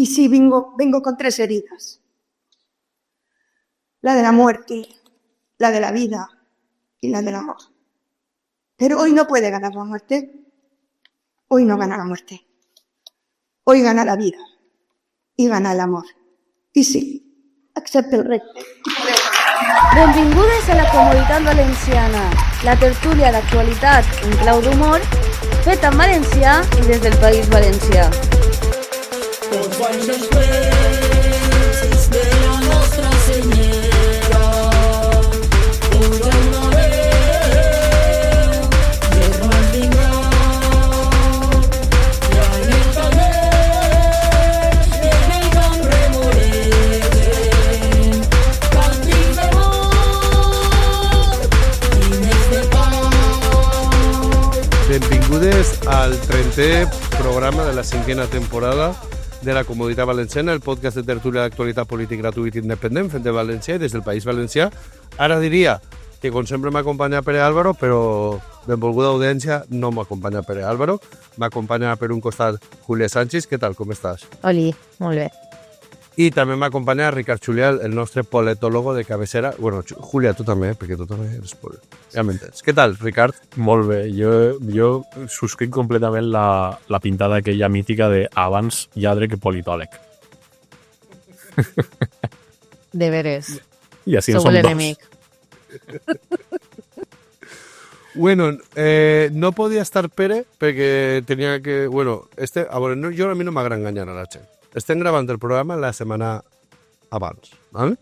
Y sí, vengo con 3 heridas. La de la muerte, la de la vida y la del amor. Pero hoy no puede ganar la muerte. Hoy no gana la muerte. Hoy gana la vida. I gana l'amor. I sí, accepta el repte. Benvingudes a la Comunitat Valenciana, la tertúlia d'actualitat en clau d'humor, feta en valencià i des del País Valencià. Tots baixos plens de la nostra senyera, puja una veu, germans vindrà, i en el taller, en el camp remolegen, càntics d'amor i més de pau. Benvingudes al 30è programa de la 5a temporada de la Comunitat Valenciana, el podcast de tertúlia d'actualitat polític gratuït i independent, fet de València i des del País Valencià. Ara diria que, com sempre, m'acompanya Pere Álvaro, però benvolguda audiència, no m'acompanya Pere Álvaro. M'acompanya per un costat Júlia Sánchez. Què tal, com estàs? Oli, molt bé. I també m'acompanya Ricard Julià, el nostre politólogo de cabecera. Bueno, Júlia, tu també, perquè tu també eres ja m'entens. Què tal, Ricard? Molt bé. Jo subscric completament la pintada aquella mítica de abans lladre que politòleg. De veres. I així en Sou som l'enemic. Bueno, no podia estar Pere perquè tenia que... Bueno, a mi no m'agrada enganyar a la gent. Estem gravant el programa la setmana abans, ¿vale?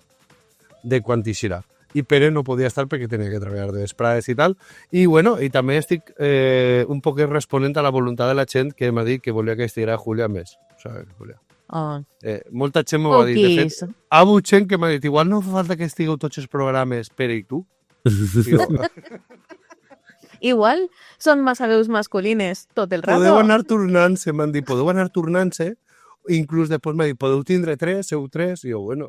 De quan eixirà. I Pere no podia estar perquè tenia que treballar de vesprades i tal. I bueno, i també estic un poc responent a la voluntat de la gent que m'ha dit que volia que estiguera Júlia més. ¿Sabes, Júlia? Oh. Molta gent m'ho va dir. De fet, ha hagut gent que m'ha dit igual no fa falta que estigueu tots els programes, Pere i tu. Igual són massa veus masculines tot el rato. Podeu anar tornant-se, m'han dit, podeu anar tornant-se. Inclús després m'ha dit, podeu tindre 3, seu 3, i jo, bueno,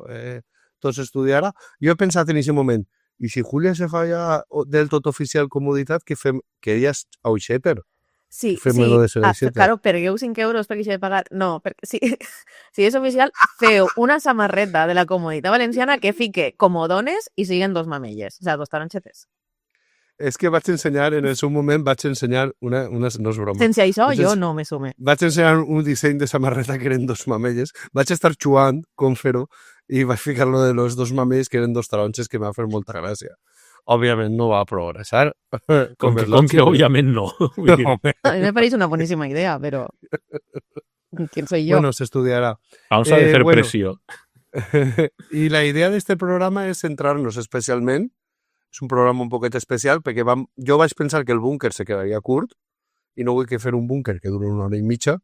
tot s'estudiarà. Jo he pensat en aquest moment, i si Júlia se fa ja del tot oficial comoditat, que fem, que ella és auxeter. Sí, claro, pergueu 5 euros perquè s'ha de pagar. No, perquè si és oficial, feu una samarreta de la Comunitat Valenciana que fique comodones i siguen 2 mamelles, o sea, 2 taronxetes. És que vaig ensenyar, en el seu moment, vaig ensenyar una no és broma. Sense això, jo no me sume. Vaig ensenyar un disseny de samarreta que eren 2 mamelles. Vaig estar jugant com fer-ho i vaig ficar-lo de los 2 mamelles que eren 2 taronxes que m'ha fet molta gràcia. Òbviament no va progressar. Com que òbviament no. No. A mi me pareix una boníssima idea, però... ¿Quién soy yo? Bueno, s'estudiarà. Vamos a hacer pressió. I la idea d'este programa és centrar-nos especialment. És un programa un poquet especial perquè jo vaig pensar que el búnquer se quedaria curt i no vull que fer un búnquer que duri 1 hora i mitja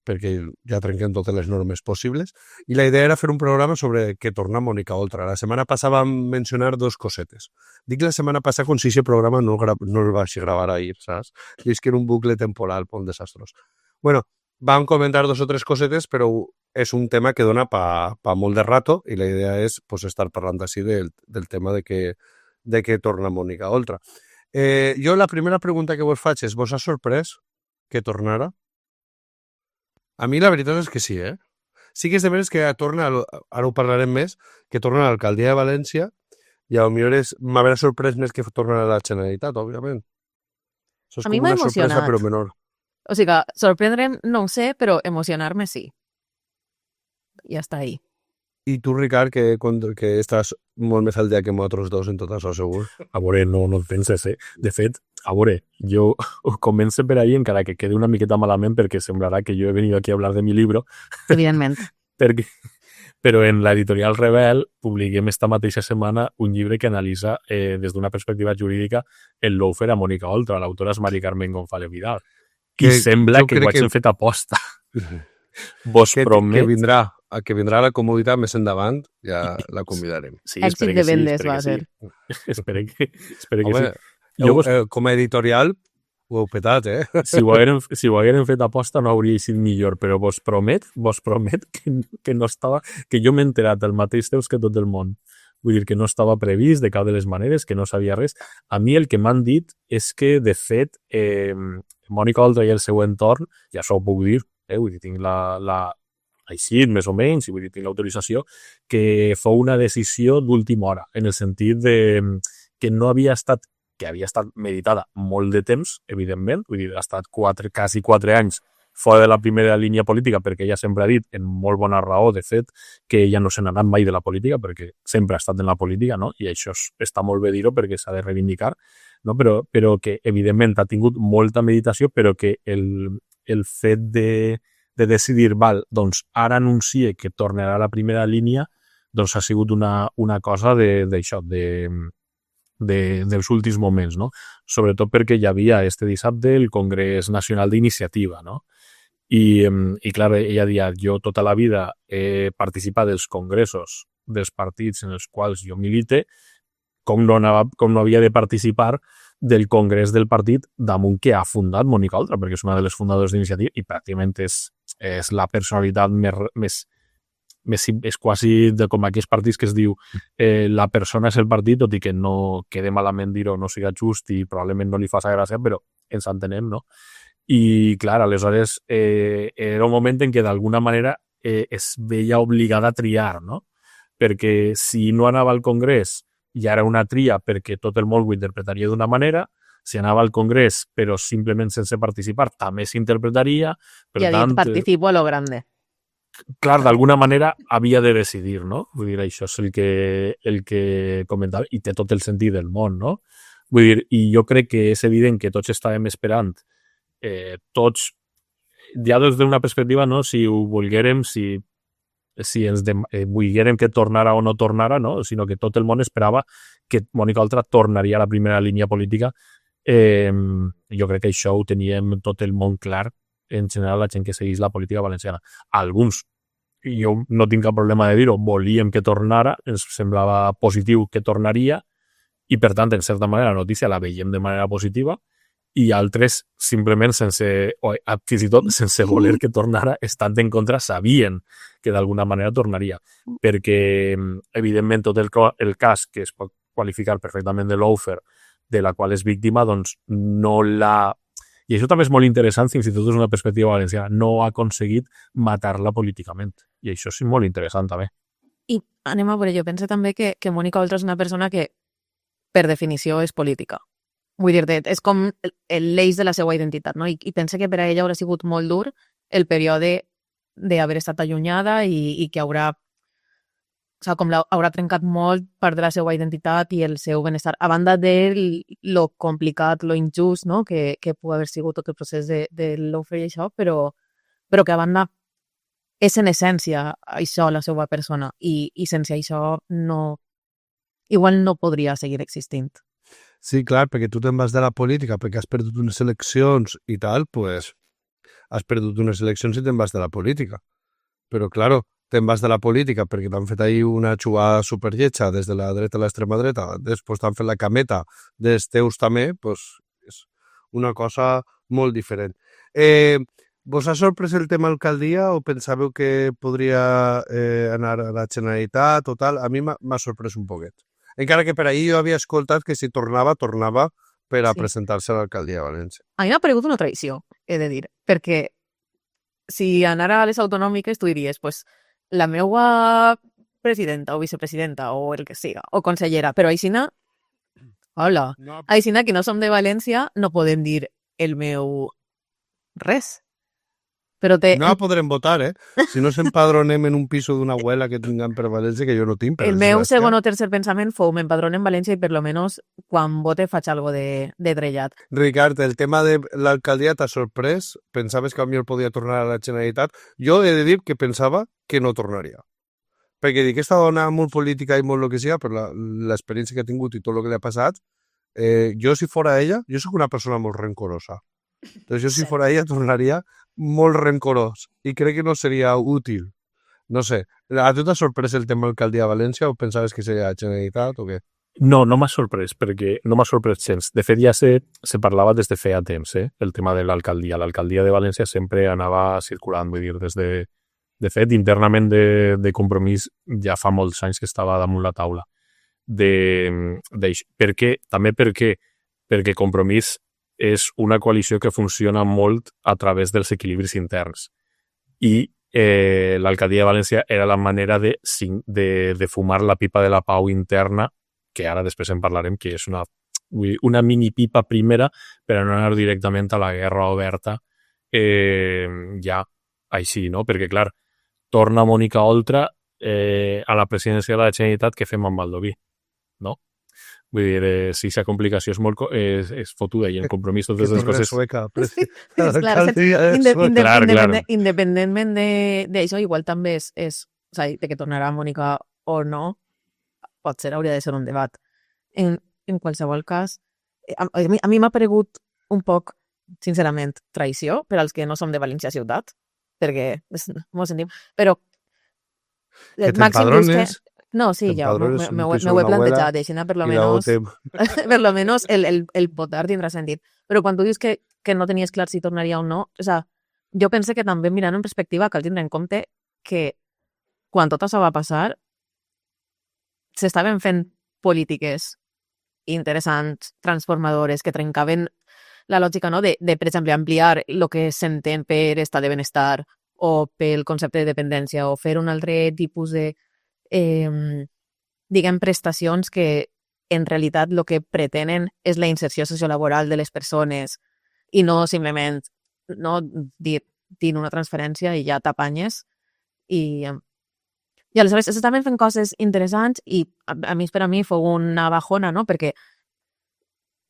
perquè ja trenquem totes les normes possibles. I la idea era fer un programa sobre què torna Mònica Oltra. La setmana passada vam mencionar 2 cosetes. Dic la setmana passada com si aquest programa no el vaig gravar ahir, saps? I és que era un bucle temporal molt desastrós. Bueno, vam comentar 2 o 3 cosetes, però és un tema que dona pa molt de rato i la idea és estar parlant així del tema de que torna Mònica Oltra. Jo la primera pregunta que vos faig és, vos ha sorprès que tornara? A mi la veritat és que sí, Sí que és de veres que torna, ara ho parlarem més, que torna a l'alcaldia de València i potser m'haurà sorprès més que torna a la Generalitat, òbviament. Això és a mi com m'ha una sorpresa, emocionat. però menor. O sigui, sorprendre'm no ho sé, però emocionar-me sí. I està ahí. I tu, Ricard, que estàs molt més al dia que nosaltres dos en tot això, segur. A veure, no et penses, De fet, a veure, jo començo per ahí, encara que quede una miqueta malament, perquè semblarà que jo he venido aquí a hablar de mi libro. Evidentment. Però en l'editorial Rebel publiquem esta mateixa setmana un llibre que analitza des d'una perspectiva jurídica el lawfare a Mònica Oltra. L'autora és Mari Carmen González Vidal. I sembla que ho hagin fet aposta. Vos promet... Que vindrà a la comoditat més endavant, ja la convidarem. Sí, èxit de vendes va ser. Espero que home, sí. Com a editorial ho heu petat, Si ho hagueren fet aposta no hauria sigut millor, però vos promet que no estava, que jo m'he enterat el mateix temps que tot el món. Vull dir que no estava previst de cap de les maneres, que no sabia res. A mi el que m'han dit és que, de fet, Mònica Oltra i el seu entorn, ja s'ho puc dir, vull dir, tinc així, més o menys, i vull dir, tinc l'autorització, que fou una decisió d'última hora, en el sentit de que no havia estat, que havia estat meditada molt de temps, evidentment, vull dir, ha estat quasi 4 anys fora de la primera línia política, perquè ella sempre ha dit, en molt bona raó, de fet, que ella no se n'ha anat mai de la política, perquè sempre ha estat en la política, no? I això està molt bé dir-ho perquè s'ha de reivindicar, no? Però que, evidentment, ha tingut molta meditació, però que el fet de decidir, val, doncs ara anuncie que tornarà a la primera línia, doncs ha sigut una cosa d'això, dels últims moments, no? Sobretot perquè hi havia este dissabte el Congrés Nacional d'Iniciativa, no? I clar, ella deia, jo tota la vida he participat dels congressos dels partits en els quals jo milite, com no havia de participar del congrés del partit damunt que ha fundat Mònica Oltra, perquè és una de les fundadores d'Iniciativa i pràcticament és la personalitat més és quasi de com aquells partits que es diu la persona és el partit, tot i que no quede malament dir-ho, no siga just i probablement no li faci gràcia, però ens entenem, no? I, clar, aleshores era un moment en què d'alguna manera es veia obligada a triar, no? Perquè si no anava al Congrés ja era una tria perquè tot el món ho interpretaria d'una manera, si anava al Congrés però simplement sense participar també s'interpretaria. I ha dit, participo a lo grande. Clar, d'alguna manera havia de decidir, no? Vull dir, això és el que comentava i té tot el sentit del món, no? Vull dir, i jo crec que és evident que tots estàvem esperant tots, ja des d'una perspectiva, no? Si ho volguérem, si ens volguérem que tornara o no tornara, no? Sinó que tot el món esperava que Mònica Oltra tornaria a la primera línia política. Jo crec que això ho teníem tot el món clar, en general la gent que segueix la política valenciana. Alguns, jo no tinc cap problema de dir-ho, volíem que tornara, ens semblava positiu que tornaria i per tant, en certa manera, la notícia la veiem de manera positiva i altres simplement fins i tot sense voler que tornara, estant en contra, sabien que d'alguna manera tornaria. Perquè, evidentment, tot el cas que es pot qualificar perfectament de lawfare, de la qual és víctima, doncs no l'ha... I això també és molt interessant, fins i tot des d'una perspectiva valenciana. No ha aconseguit matar-la políticament. I això és molt interessant, també. I anem a veure, jo penso també que Mònica Oltra és una persona que, per definició, és política. Vull dir, és com l'eix de la seva identitat, no? I penso que per a ella haurà sigut molt dur el període d'haver estat allunyada i que haurà trencat molt part de la seva identitat i el seu benestar, a banda de lo complicat, lo injust, no? que pugui haver sigut tot el procés de lawfare i això, però que a banda és en essència això la seva persona i sense això igual no podria seguir existint. Sí, clar, perquè tu te'n vas de la política perquè has perdut unes eleccions i tal, pues has perdut unes eleccions i te'n vas de la política. Però, claro, te'n vas de la política perquè t'han fet ahí una xugada superlletja des de la dreta a l'extrema dreta, després t'han fet la cameta dels teus també, pues és una cosa molt diferent. Vos ha sorprès el tema alcaldia o pensàveu que podria anar a la Generalitat o tal? A mi m'ha sorprès un poquet. Encara que per ahir jo havia escoltat que si tornava per a presentar-se a l'alcaldia de València. A mi m'ha paregut una traïció, he de dir, perquè si anara a les autonòmiques tu diries, pues, la meua presidenta o vicepresidenta o el que siga, o consellera, però aixina, hola, aixina que no som de València no podem dir el meu res. Però no podrem votar, si no s'empadronem en un piso d'una abuela que tinguem per València, que jo no tinc. El meu segon o tercer pensament fou m'empadronem en València i per lo menos quan vote faig algo de drellat. Ricard, el tema de l'alcaldia t'ha sorprès? Pensaves que potser podia tornar a la Generalitat? Jo he de dir que pensava que no tornaria. Perquè dic, aquesta dona molt política i molt el que sigui, per l'experiència que ha tingut i tot el que li ha passat, jo si fora ella, jo soc una persona molt rencorosa. Entonces jo si fora ella tornaria molt rencorós i crec que no seria útil. No sé, a tu t'ha sorprès el tema d'alcaldia de València o pensaves que seria la Generalitat o què? No m'ha sorprès, perquè no m'ha sorprès gens. De fet, ja se parlava des de feia temps, el tema de l'alcaldia. L'alcaldia de València sempre anava circulant, vull dir, de fet, internament de Compromís ja fa molts anys que estava damunt la taula. Perquè Compromís és una coalició que funciona molt a través dels equilibris interns. I l'alcaldia de València era la manera de fumar la pipa de la pau interna, que ara després en parlarem, que és una mini pipa primera per no anar directament a la guerra oberta ja així, no? Perquè, clar, torna Mònica Oltra a la presidència de la Generalitat, què fem amb Baldoví, no? Vull dir, si aquesta complicació és fotuda i en compromís totes les coses... Independentment d'això, igual també és o sigui, de que tornarà Mònica o no, potser hauria de ser un debat. En qualsevol cas, a mi m'ha paregut un poc, sincerament, traïció per als que no som de València ciutat, perquè mos sentim, però Màxim Busquets... No, sí, ja m'ho he plantejat, així per lo menos el votar tindrà sentit. Però quan tu dius que no tenies clar si tornaria o no, o sea, jo pense que també mirant en perspectiva cal tindre en compte que quan tot això va passar s'estaven fent polítiques interessants, transformadores, que trencaven la lògica, no? de per exemple, ampliar el que s'entén per estat de benestar o pel concepte de dependència o fer un altre tipus de diguem, prestacions que en realitat el que pretenen és la inserció sociolaboral de les persones i no simplement dir una transferència i ja t'apanyes. I aleshores s'estaven fent coses interessants i a mi fou una bajona, no? Perquè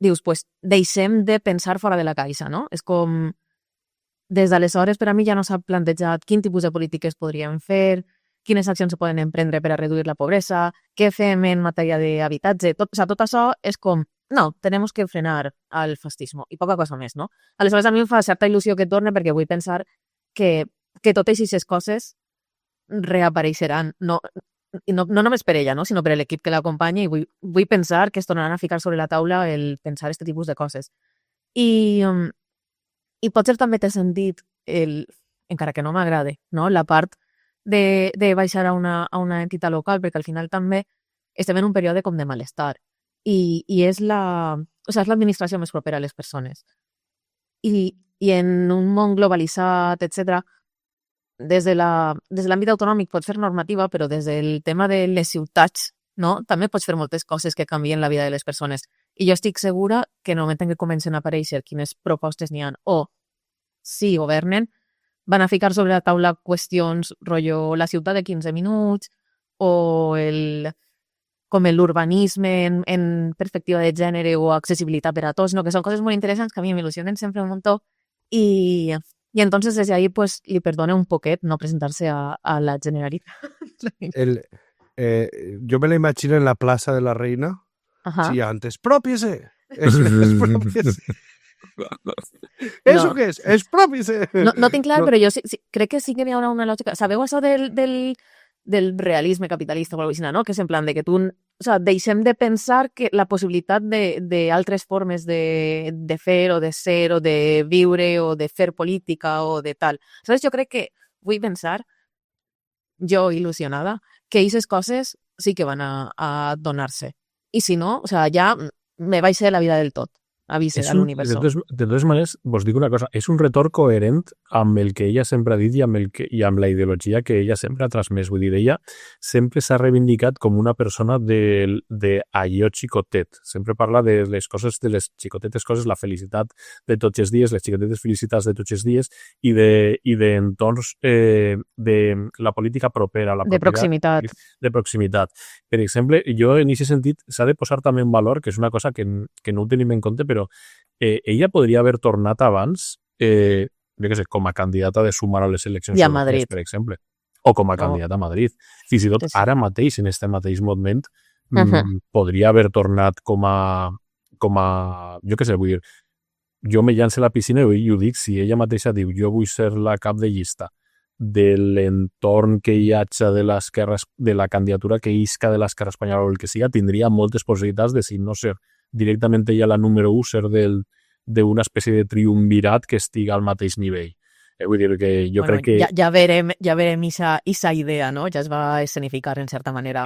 dius, pues, deixem de pensar fora de la caixa, no? És com, des d'aleshores per a mi ja no s'ha plantejat quin tipus de polítiques podríem fer, quines accions se poden emprendre per a reduir la pobresa, què fem en matèria d'habitatge, tot això és com, no, tenemos que frenar el fascismo i poca cosa més, no? Aleshores a mi em fa certa il·lusió que torne perquè vull pensar que totes aquestes coses reapareixeran, no només per ella, no? Sinó per l'equip que l'acompanya i vull pensar que es tornaran a ficar sobre la taula el pensar aquest tipus de coses. I potser també té sentit, encara que no m'agrade, no? La part de baixar a una entitat local, perquè al final també estem en un període com de malestar i és l'administració més propera a les persones. I en un món globalitzat, etc., des de l'àmbit autonòmic pots fer normativa, però des del tema de les ciutats, no? També pots fer moltes coses que canvien la vida de les persones. I jo estic segura que en el moment en què comencen a aparèixer quines propostes n'hi ha o si governen, van a ficar sobre la taula qüestions, rotllo la ciutat de 15 minuts o com l'urbanisme en perspectiva de gènere o accessibilitat per a tots, no? Que són coses molt interessants que a mi m'il·lusionen sempre un muntó i entonces desde ahí pues li perdone un poquet no presentarse a la Generalitat. Yo me la imagino en la Plaza de la Reina. Ajá. Sí, antes, ¡expropiese! ¡Expropiese! ¿Eso qué es? ¡Expropiese! No tinc clar, però jo sí, crec que sí que hi haurà una lògica. Sabeu això del realisme capitalista o alguna cosa, no? Que és en plan de que tu... O sea, deixem de pensar que la possibilitat d'altres formes de fer o de ser o de viure o de fer política o de tal. Aleshores, jo crec que vull pensar, jo il·lusionada, que aquestes coses sí que van a donar-se. I si no, o sea, ja me vaig ser la vida del tot. Avise a l'univers. De totes maneres, vos dic una cosa, és un retorn coherent amb el que ella sempre ha dit i amb la ideologia que ella sempre ha transmès. Vull dir, ella sempre s'ha reivindicat com una persona d'allò xicotet. Sempre parla de les coses, de les xicotetes coses, la felicitat de tots els dies, les xicotetes felicitats de tots els dies i d'entorns de la política propera. De proximitat. De proximitat. Per exemple, jo en aquest sentit s'ha de posar també en valor, que és una cosa que no ho tenim en compte, però ella podria haver tornat abans, jo què sé, com a candidata de sumar a les eleccions europees, per exemple, o com a candidata a Madrid. Fins i tot ara mateix, en aquest mateix moment, podria haver tornat com a jo què sé, vull dir, jo me llanço a la piscina i ho dic, si ella mateixa diu jo vull ser la cap de llista de l'entorn que hi hagi de la candidatura que isca de l'esquerra espanyola o el que siga, tindria moltes possibilitats de, si no ser directament ella la número 1, ser d'una espècie de triumvirat que estiga al mateix nivell. Vull dir que jo crec que... Ja verem esa idea, no? Ja es va escenificar en certa manera.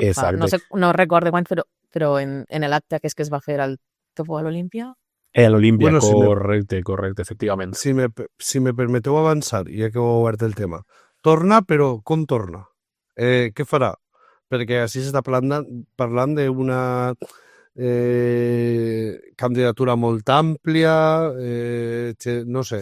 No recordo quan, però en l'acte que es va fer que fou a l'Olímpia. A l'Olímpia, correcte, efectivament. Si me permeteu avançar, ja que heu obert el tema, Torna, però com torna? Què farà? Perquè així s'està parlant d'una candidatura molt àmplia, no sé,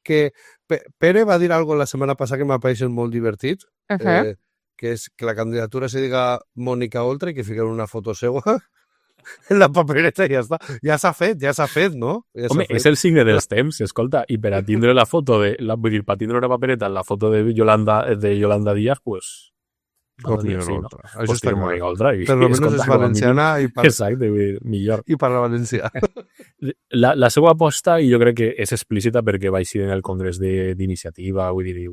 que Pere va dir alguna cosa la setmana passada que m'ha pareixet molt divertit, que és que la candidatura se diga Mònica Oltra i que fiquen una foto seva en la papereta i ja està. Ja s'ha fet, no? Ja home, és el signe dels temps, escolta, i per a tindre la foto vull dir, per tindre una papereta en la foto de Yolanda Díaz, pues... Mònica Oltra. Això està clar. Mònica Oltra. Per almenys és valenciana i parla... Exacte, millor. I parla valencià. La seva aposta, i jo crec que és explícita perquè va així en el congrés d'iniciativa, vull dir,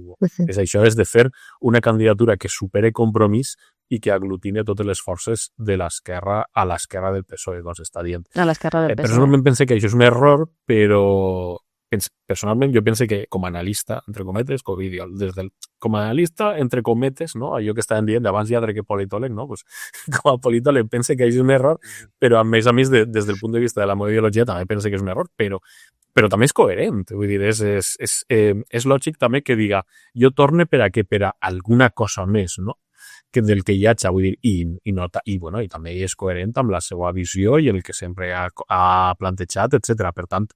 és això, és de fer una candidatura que supere Compromís i que aglutine totes les forces de l'esquerra a l'esquerra del PSOE, doncs està dient. A l'esquerra del PSOE. Personalment pense que això és un error, però personalment jo pense que com a analista, entre cometes, com a analista, entre cometes, no? Allò que estaven dient abans ja que politòleg, no? Pues, com a politòleg pense que és un error, però a més des del punt de vista de la meva ideologia també pense que és un error, però també és coherent, vull dir, és lògic també que diga jo torne per a alguna cosa més, no? Que del que hi haig, vull dir, i també és coherent amb la seva visió i el que sempre ha plantejat, etc. Per tant,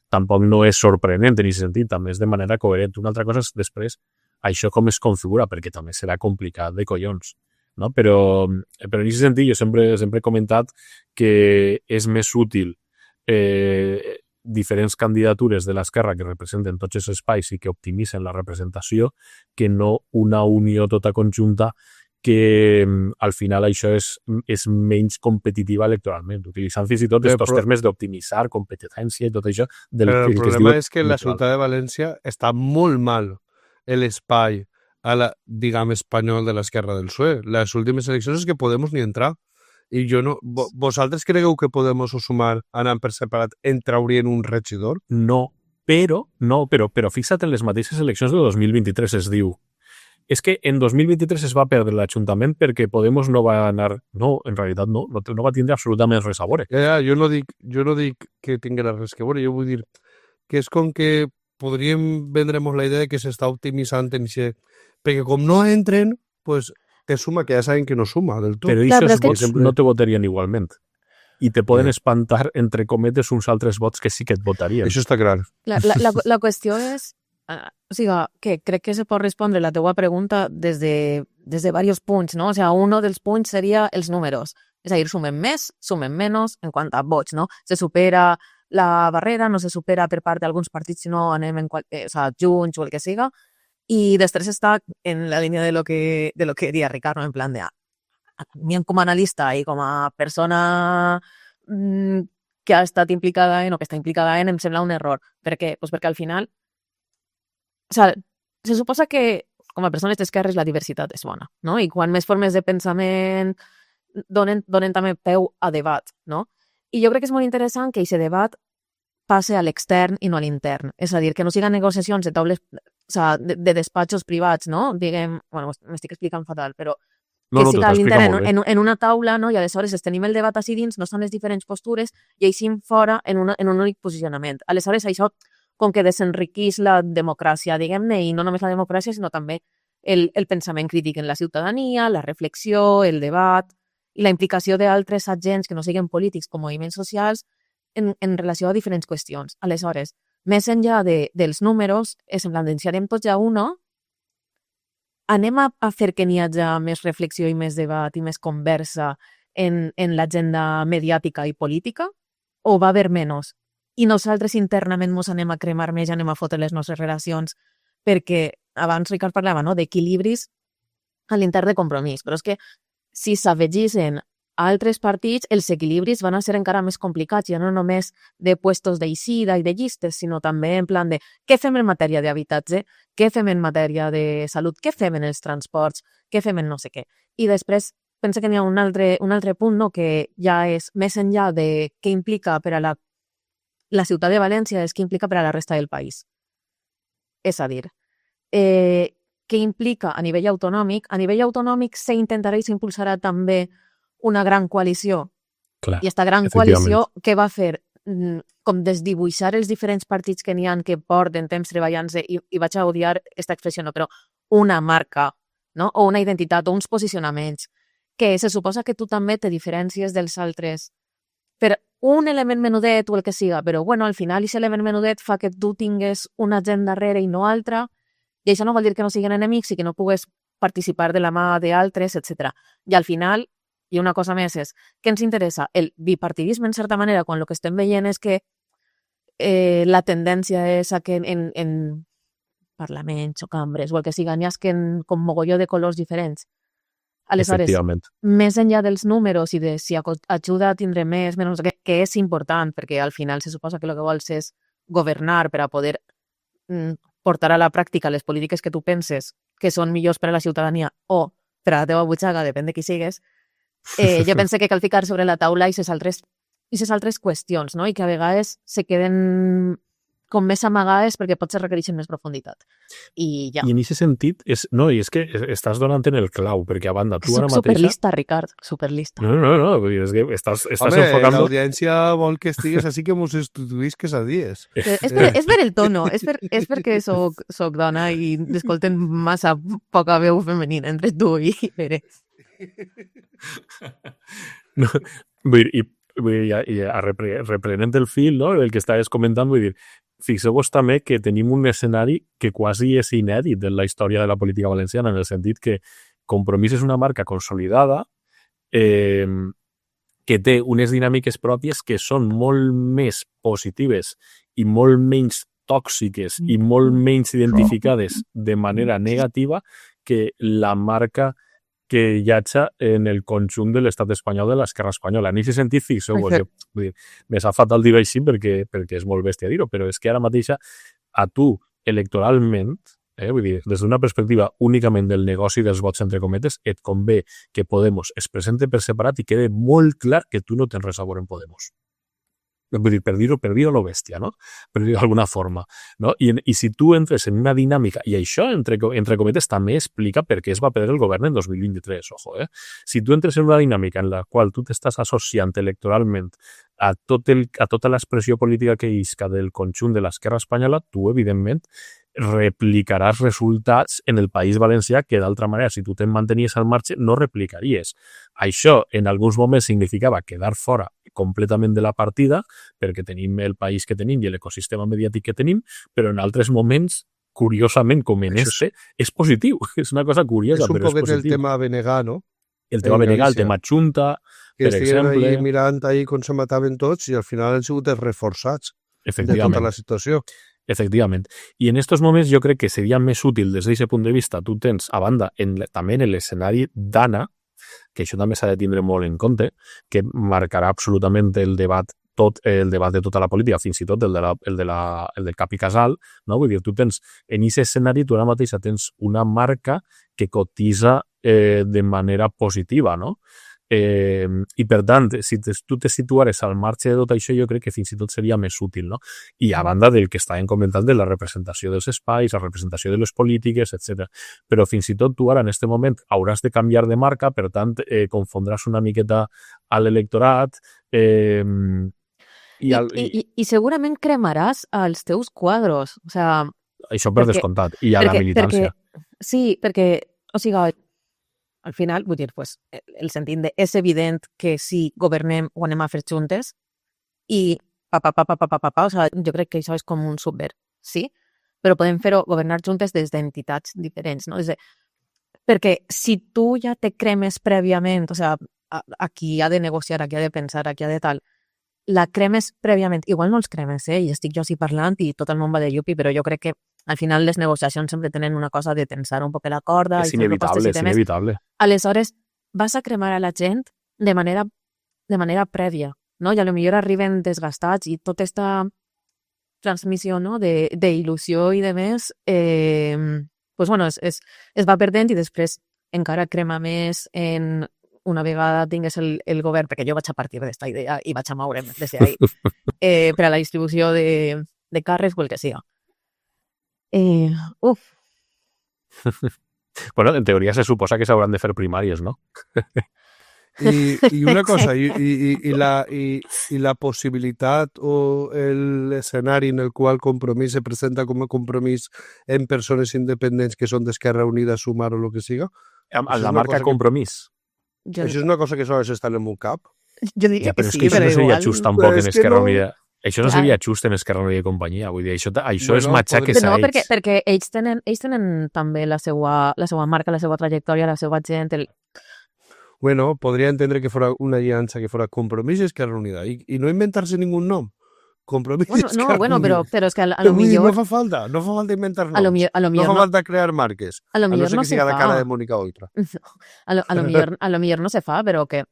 tampoc no és sorprenent en aquest sentit, també és de manera coherent. Una altra cosa és després això com es configura, perquè també serà complicat de collons, no? Però en aquest sentit jo sempre he comentat que és més útil diferents candidatures de l'esquerra que representen tots els espais i que optimitzen la representació que no una unió tota conjunta que al final això és menys competitiva electoralment, utilitzant fins i tot aquests termes d'optimitzar, competència i tot això. Però el problema és que la ciutat de València està molt mal l'espai diguem, espanyol de l'esquerra del PSOE. Les últimes eleccions és que Podemos ni entrar. I jo no... Vosaltres cregueu que Podemos o Sumar anant per separat entraurien un regidor? No, però fixa't en les mateixes eleccions de 2023 es diu és que en 2023 es va perdre l'Ajuntament perquè Podemos no va anar... No, en realitat no va tindre absolutament res a veure. Jo no dic que tinguera res a veure, jo vull dir que és com que podríem vendre-nos la idea de que s'està optimitzant en això, perquè com no entren, pues, te suma, que ja saben que no suma del tot. Però aquests vots no te votarien igualment. I te poden espantar, entre cometes, uns altres vots que sí que et votarien. Això està clar. La qüestió és... o sigui, que crec que se pot respondre la teua pregunta des de diversos punts, no? O sigui, un dels punts seria els números. És a dir, sumen més, sumen menys en quant a vots, no? Se supera la barrera, no se supera per part d'alguns partits, sinó anem junts o el que siga. I després està en la línia de lo que diria Ricard, no? En plan de mi com a analista i com a persona que ha estat implicada o que està implicada em sembla un error. Per què? Pues perquè al final se suposa que com a persones d'esquerres la diversitat és bona, no? I quan més formes de pensament donen també peu a debat, no? I jo crec que és molt interessant que aquest debat passe a l'extern i no a l'intern. És a dir, que no siguin negociacions de taules, de despatxos privats, no? Diguem, bueno, m'estic explicant fatal, però que siga a l'intern en una taula, no? I aleshores tenim el debat així dins, no són les diferents postures, i així fora en un únic posicionament. Aleshores, això com que desenriquís la democràcia, diguem-ne, i no només la democràcia, sinó també el pensament crític en la ciutadania, la reflexió, el debat i la implicació d'altres agents que no siguin polítics com moviments socials en relació a diferents qüestions. Aleshores, més enllà dels números, és en plan de si anem tots a uno, anem a fer que n'hi hagi més reflexió i més debat i més conversa en l'agenda mediàtica i política, o va haver menys? I nosaltres internament ens anem a cremar més i anem a fotre les nostres relacions, perquè abans Ricard parlava, no?, d'equilibris a l'intern de Compromís, però és que si s'afegissin altres partits, els equilibris van a ser encara més complicats, ja no només de puestos d'eixida i de llistes, sinó també en plan de què fem en matèria d'habitatge, què fem en matèria de salut, què fem en els transports, què fem en no sé què. I després penso que n'hi ha un altre punt, no?, que ja és més enllà de què implica per a la ciutat de València, és què implica per a la resta del país. És a dir, què implica a nivell autonòmic? A nivell autonòmic s'intentarà i s'impulsarà també una gran coalició. Clar, i aquesta gran coalició què va fer? Com desdibuixar els diferents partits que n'hi ha que porten temps treballant-se, i vaig a odiar aquesta expressió, no, però una marca, no? O una identitat, o uns posicionaments, que se suposa que tu també te diferencies dels altres per un element menudet o el que siga, però bueno, al final aquest element menudet fa que tu tingues una gent darrere i no altra, i això no vol dir que no siguin enemics i que no pugues participar de la mà d'altres, etc. I al final, i una cosa més és, què ens interessa? El bipartidisme, en certa manera, quan el que estem veient és que la tendència és a que en parlaments o cambres o el que siga, n'hi ha com mogolló de colors diferents. Aleshores, més enllà dels números i de si ajuda a tindre més, menys, que és important, perquè al final se suposa que el que vols és governar per a poder portar a la pràctica les polítiques que tu penses que són millors per a la ciutadania o per a la teva butxaca, depèn de qui sigues, jo pense que cal ficar sobre la taula i ses altres qüestions, no? I que a vegades se queden com més amagades perquè potser requereixen més profunditat. I ja. I en aquest sentit, és que estàs donant en el clau, perquè a banda, tu ara mateixa... Superlista, Ricard, superlista. No, és que estàs Home, enfocant... l'audiència vol que estigues així que mos estuduïsques a dies. És per el tono, és perquè soc dona i escolten massa poca veu femenina entre tu i Pere. No, vull dir, reprenent el fil, no?, del que estaves comentant, vull dir, fixeu-vos també que tenim un escenari que quasi és inèdit en la història de la política valenciana, en el sentit que Compromís és una marca consolidada que té unes dinàmiques pròpies que són molt més positives i molt menys tòxiques i molt menys identificades de manera negativa que la marca que hi ha en el conjunt de l'estat espanyol de l'esquerra espanyola. En aquest sentit, fixeu-vos, vull dir, me sap fatal dir-ho així perquè és molt bèstia dir-ho, però és que ara mateixa a tu, electoralment, vull dir, des d'una perspectiva únicament del negoci dels vots, entre cometes, et convé que Podemos es presente per separat i quede molt clar que tu no tens res a veure en Podemos. Vull dir, per dir-ho a lo bèstia, no? Per dir-ho d'alguna forma, no? I si tu entres en una dinàmica, i això, entre cometes, també explica per què es va perdre el govern en 2023, ojo, Si tu entres en una dinàmica en la qual tu t'estàs associant electoralment a tota l'expressió política que isca del conjunt de l'esquerra espanyola, tu, evidentment, replicaràs resultats en el País Valencià que, d'altra manera, si tu te'n mantenies al marge, no replicaries. Això, en alguns moments, significava quedar fora completament de la partida, perquè tenim el país que tenim i l'ecosistema mediàtic que tenim, però en altres moments, curiosament, com en és positiu. És una cosa curiosa, però és positiu. És un poquet el tema Benegar, no? El tema Benegar, el tema Xunta, per exemple. Que estiguin mirant ahí com se mataven tots i al final han sigut reforçats de tota la situació. Efectivament. I en aquests moments jo crec que seria més útil des d'aquest punt de vista. Tu tens, a banda, també en l'escenari d'Anna, que això també s'ha de tindre molt en compte, que marcarà absolutament el debat de tota la política, fins i tot el del Cap i Casal, no? Vull dir, tu tens, en aquest escenari, tu ara mateixa tens una marca que cotitza de manera positiva, no? I per tant, si tu te situares al marge de tot això, jo crec que fins i tot seria més útil, no? I a banda del que estàvem comentant de la representació dels espais, la representació de les polítiques, etc. Però fins i tot tu ara en aquest moment hauràs de canviar de marca, per tant, confondràs una miqueta a l'electorat. I segurament cremaràs els teus quadros. O sea, això per descomptat. I a la militància. Sí, perquè, o sigui, al final, vull dir, pues, el sentit de és evident que si governem ho anem a fer juntes i o sigui, jo crec que això és com un subvert, sí? Però podem fer-ho governar juntes des d'entitats diferents, no? Perquè si tu ja te cremes prèviament, o sigui, aquí ha de negociar, aquí ha de pensar, aquí ha de tal, la cremes prèviament, igual no els cremes, i estic jo així parlant i tot el món va de llupi, però jo crec que al final les negociacions sempre tenen una cosa de tensar un poc la corda. És inevitable, és inevitable. Aleshores, vas a cremar a la gent de manera prèvia, no? I a lo millor arriben desgastats i tota aquesta transmissió, no? d'il·lusió i de més, pues bueno, es va perdent i després encara crema més en una vegada tingués el govern, perquè jo vaig a partir d'aquesta idea i vaig a moure'm des d'ahí, per a la distribució de càrrecs o el que siga. Bueno, en teoria se suposa que s'hauran de fer primàries, no? Y una cosa, y la possibilitat o l'escenari en el qual Compromís se presenta com a Compromís en persones independents que són d'Esquerra Unida, Sumar o el que siga. Amb la marca Compromís. Jo, Això és una cosa que sols està en el meu cap. jo diria Ja, però que és sí, que això però no seria igual... just tampoc en és que Esquerra no- Unida. Això no Clar. seria just en Esquerra Unida i companyia. Vull dir, això és Bueno, matxaques No, a ells. perquè ells tenen també la seva marca, la seva trajectòria, la seva gent... Bueno, podría entender que fuera una alianza que fuera Compromís y Esquerra Unida y no inventarse ningún nombre. Compromís y Bueno, Esquerra no, bueno, Unida. però és que a lo Però vull dir, millor... no fa falta inventar A lo noms. millor No fa falta crear marques. a lo A no millor ser no que se siga la fa. cara de Mónica Oltra. A lo millor no se fa, però que...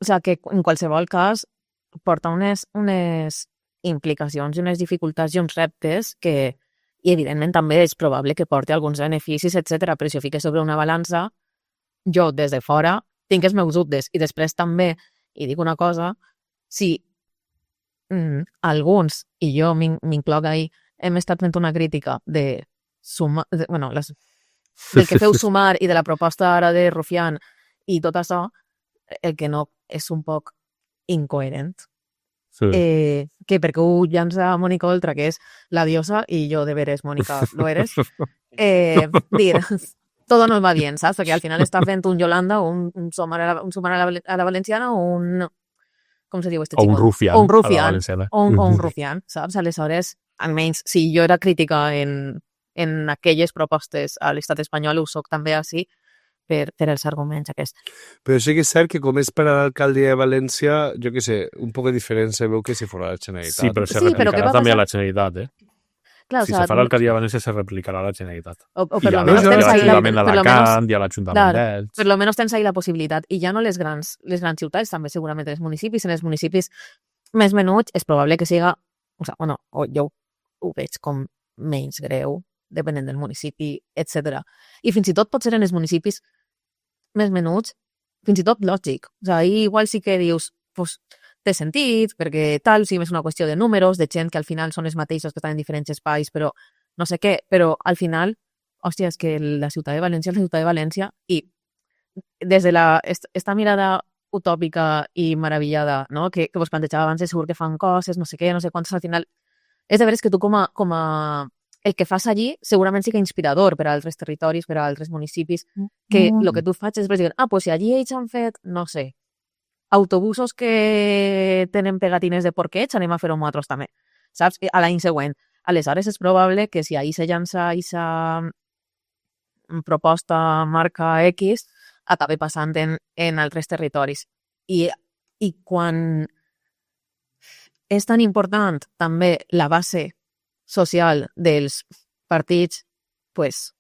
O sea, que en qualsevol cas porta unes implicacions i unes dificultats i uns reptes que, i evidentment també és probable que porti alguns beneficis, etc. Però si ho fiques sobre una balança, jo des de fora tinc els meus dubtes. I després també, i dic una cosa, si alguns, i jo m'incloc ahir, hem estat fent una crítica de sumar, del que feu Sumar i de la proposta ara de Rufián i tot això, el que no és un poc incoherent. Sí. Que perquè ho llança Mónica Oltra, que és la diosa, i jo de veres, Mónica, lo eres. Dir, todo nos va bien, saps? Perquè al final està fent un Yolanda o un Sumar a la valenciana o un... Com se diu este O chico? un Rufián. O un a la Rufián. valenciana. O un Rufián, saps? Aleshores, almenys, si jo era crítica en aquelles propostes a l'estat espanyol, ho soc també així per els arguments aquests. Però sí que és cert que com és per a l'alcaldia de València, jo què sé, un poc diferent se veu que si fos la Generalitat. Sí, però se Sí, però què replicarà va també a passar? la Generalitat, Clar, Si o sea, se fa l'alcaldia de València, se replicarà a la Generalitat. o I per a lo menos tens ahí l'Ajuntament per lo menos, d'Alacant i a l'Ajuntament clar, d'Elx. per lo menos tens ahí la possibilitat. I ja no les grans ciutats, també segurament els municipis. En els municipis més menuts és probable que siga, o jo ho veig com menys greu, depenent del municipi, etc. I fins i tot pot ser en els municipis més menuts, fins i tot lògic. O sigui, ahí igual sí que dius, pues, té sentit, perquè tal, si és una qüestió de números, de gent que al final són els mateixos que estan en diferents espais, però no sé què, però al final, hòstia, és que la ciutat de València és la ciutat de València i des de esta mirada utòpica i meravellada, no? que vos plantejava abans, segur que fan coses, no sé què, no sé quantes, al final, és de veres que tu com a el que fas allí segurament sí que inspirador per a altres territoris, per a altres municipis, que el que tu faig és dir, pues si allí ells han fet, no sé, autobusos que tenen pegatines de porquets, anem a fer-ho nosaltres també, saps? A l'any següent. Aleshores és probable que si ahir se llança aquesta proposta marca X, acabi passant en altres territoris. I quan és tan important també la base social dels partits, pues,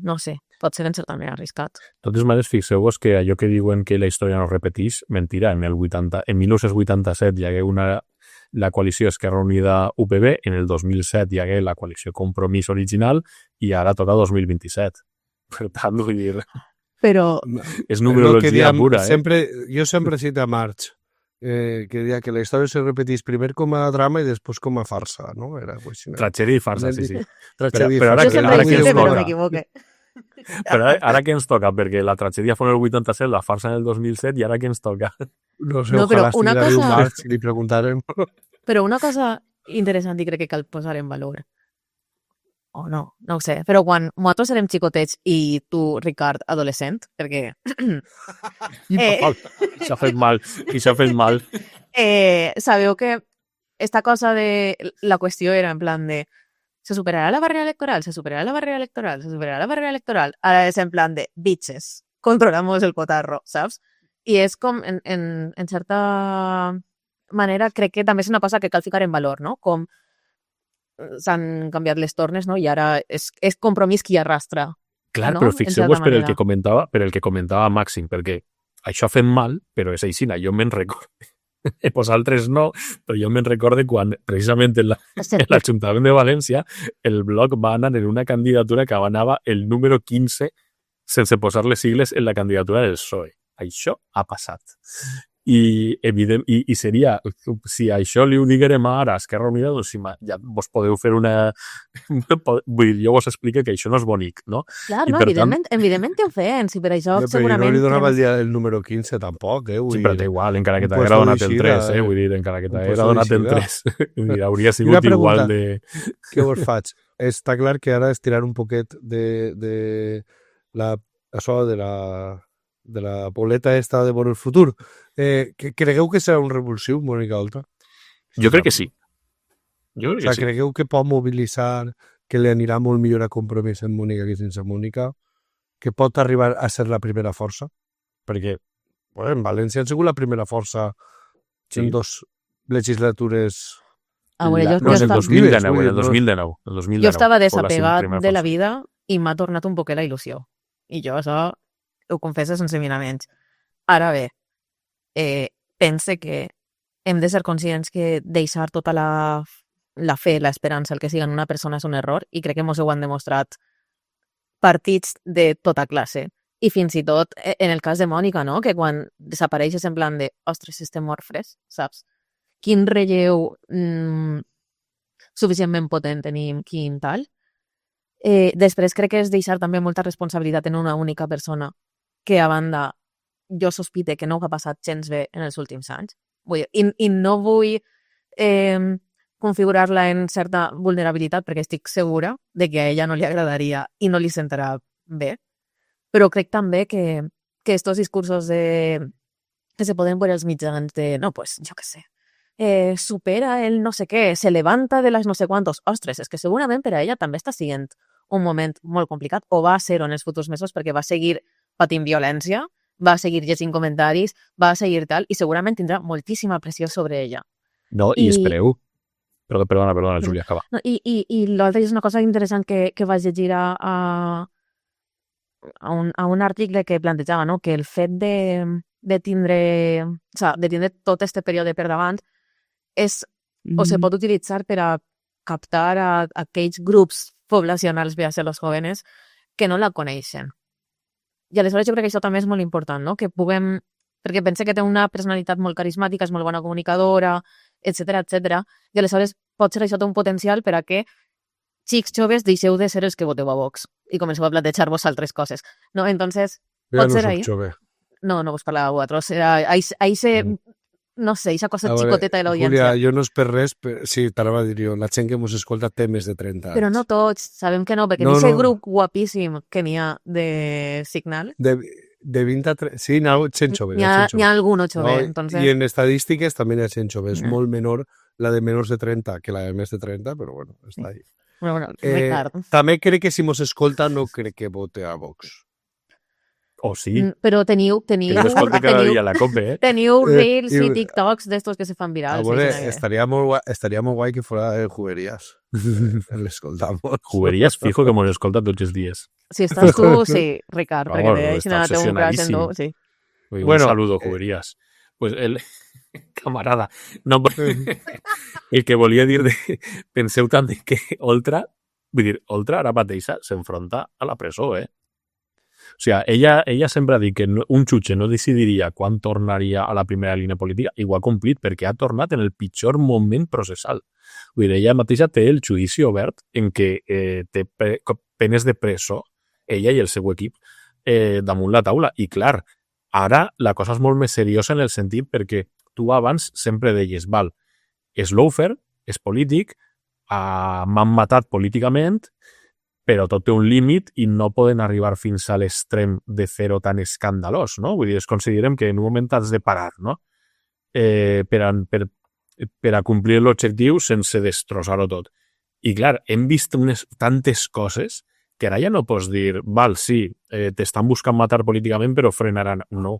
no sé, pot ser en certa manera arriscat. De totes maneres, fixeu-vos que allò que diuen que la història no repeteix, mentira. En 1987 hi hagué la coalició Esquerra Unida-UPB, en el 2007 hi hagué la coalició Compromís original i ara toca 2027. Per tant, vull dir, Però és numerologia pura. Jo sempre cito a Marx, que deia que la història se repeteix primer com a drama i després com a farsa, no? Era pues, Tragèdia i farsa, sí. Tragèdia i Però ara jo que- sempre ara que dic ens però toca. m'equivoque. Però ara què ens toca? Perquè la tragèdia fou en el 87, la farsa en el 2007 i ara què ens toca? No sé, No, però ojalà una estiguera viu cosa- Marx i li preguntarem. Però una cosa interessant i crec que cal posar en valor, o no ho sé, però quan nosaltres érem xicotets i tu, Ricard, adolescent, perquè S'ha fet mal, i s'ha fet mal. sabeu que esta cosa de la qüestió era en plan de se superarà la barrera electoral, se superarà la barrera electoral, se superarà la barrera electoral. Ara és en plan de bitches, controlamos el cotarro, saps? I és com, en certa manera, crec que també és una cosa que cal ficar en valor, no? Com s'han canviat les tornes, no? I ara és Compromís qui arrastra. Clar, no? però En fixeu-vos certa per el manera. que comentava Màxim, perquè això ha fet mal, però és així, jo me'n recordo. Vosaltres no, però jo me'n recordo quan, precisament en l'Ajuntament de València, el bloc va anar en una candidatura que anava el número 15 sense posar les sigles en la candidatura del PSOE. Això ha passat. I seria, si això li ho diguérem ara a Esquerra Unida, doncs ja vos podeu fer una... Vull dir, jo vos explico que això no és bonic, no? Clar, no, evidentment té ofens, i per això segurament... No li donava el número 15 tampoc, Sí, però té igual, encara que t'haguera donat el 3, vull dir, encara que t'haguera donat el 3. Vull dir, hauria sigut igual de... Què vos faig? Està clar que ara estirar un poquet de la boleta esta de Bon el Futur. Cregueu que serà un revulsiu, Mònica Oltra? Jo crec que sí. Sí. Cregueu que pot mobilitzar, que li anirà molt millor a Compromís en Mònica que sense Mònica, que pot arribar a ser la primera força? Perquè en València han sigut la primera força en 2 legislatures... No, en el 2019. Jo estava desapegat de la vida i m'ha tornat un poquet la il·lusió. I jo això ho confesso sense miraments. Ara bé, pense que hem de ser conscients que deixar tota la fe, l'esperança, el que sigui en una persona és un error, i crec que mos ho han demostrat partits de tota classe. I fins i tot en el cas de Mònica, no? Que quan desapareixes en plan de ostres, estem orfres, saps? Quin relleu suficientment potent tenim, quin tal. Després crec que és deixar també molta responsabilitat en una única persona, que a banda jo sospite que no ho ha passat gens bé en els últims anys. Vull dir, i no vull configurar-la en certa vulnerabilitat perquè estic segura de que a ella no li agradaria i no li sentarà bé. Però crec també que estos discursos que se poden veure als mitjans de, no, pues, jo què sé, supera el no sé què, se levanta de les no sé quantos. Ostres, és que segurament per a ella també està sent un moment molt complicat, o va ser-ho en els futurs mesos, perquè va seguir patint violència, va seguir llegint comentaris, va seguir tal, i segurament tindrà moltíssima pressió sobre ella. No, i espereu. Perdona, Júlia, acaba. No, I l'altre és una cosa interessant que vaig llegir a un article que plantejava, no? Que el fet de tindre tot este període per davant o se pot utilitzar per a captar a aquells grups poblacionals, ve a ser los jóvenes, que no la coneixen. I aleshores jo crec que això també és molt important, no? Que puguem... Perquè pense que té una personalitat molt carismàtica, és molt bona comunicadora, etcètera, i aleshores pot ser això té un potencial per a que xics joves deixeu de ser els que voteu a Vox i comenceu a plantejar-vos altres coses. No? Entonces, pot ser ahí. No vos parlava a vosaltres. Ahí se... No sé, aquesta cosa xicoteta de l'audiència. Júlia, jo no és per res, sí, t'anava a dir jo, la gent que mos escolta té més de 30 anys. Però no tots, sabem que no, perquè n'hi ha grup guapíssim que n'hi ha de Signal. De 20 a 30, sí, n'hi ha gent jove. N'hi ha algun jove, entonces... I en estadístiques també n'hi ha gent jove, és molt menor la de menors de 30 que la de més de 30, però bueno, està ahí. Bueno, Ricard. També crec que si mos escolta no crec que vote a Vox. O sí. Però teniu que no escolta cada dia la COPE, teniu reels i TikToks d'estos que se fan virals. Estaría muy guay que fuera de Juguerías. L'escoltamos. Juguerías, fijo que mos escolta tots els dies. Si estàs tu, sí, Ricard, perquè deixin a la teva un crash en tu, sí. Un saludo, Juguerías. Pues el camarada, no, el que volia dir penseu també que Oltra ara mateix s'enfronta a la presó, O sigui, ella sempre ha dit que un jutge no decidiria quan tornaria a la primera línia política, i ho ha complit perquè ha tornat en el pitjor moment processal. Vull dir, ella mateixa té el judici obert en què té penes de presó, ella i el seu equip, damunt la taula. I clar, ara la cosa és molt més seriosa en el sentit perquè tu abans sempre deies, val, és lawfare, és polític, m'han matat políticament, però tot té un límit i no poden arribar fins a l'extrem de fer-ho tan escandalós, no? Vull dir, considerem que en un moment has de parar, no? Per a complir l'objectiu sense destrossar-ho tot. I clar, hem vist tantes coses que ara ja no pots dir, val, sí, t'estan buscant matar políticament, però frenaran. No.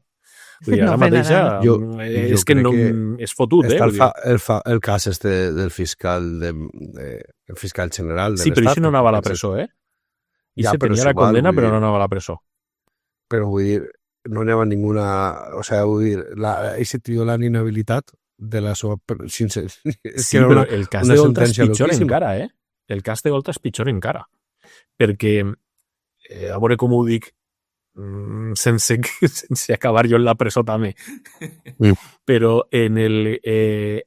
Vull dir, ara mateixa és que no és fotut, el cas del fiscal el fiscal general de l'Estat. Sí, però això no anava a la presó, I se tenia la condena, però no anava a la presó. Però vull dir, no anava ninguna... O sigui, vull dir, ese tio l'han inhabilitat de la seva... Sí, però el cas de Oltra és pitjor encara, El cas de Oltra és pitjor encara. Perquè, a veure com ho dic, sense acabar jo en la presó també. Però en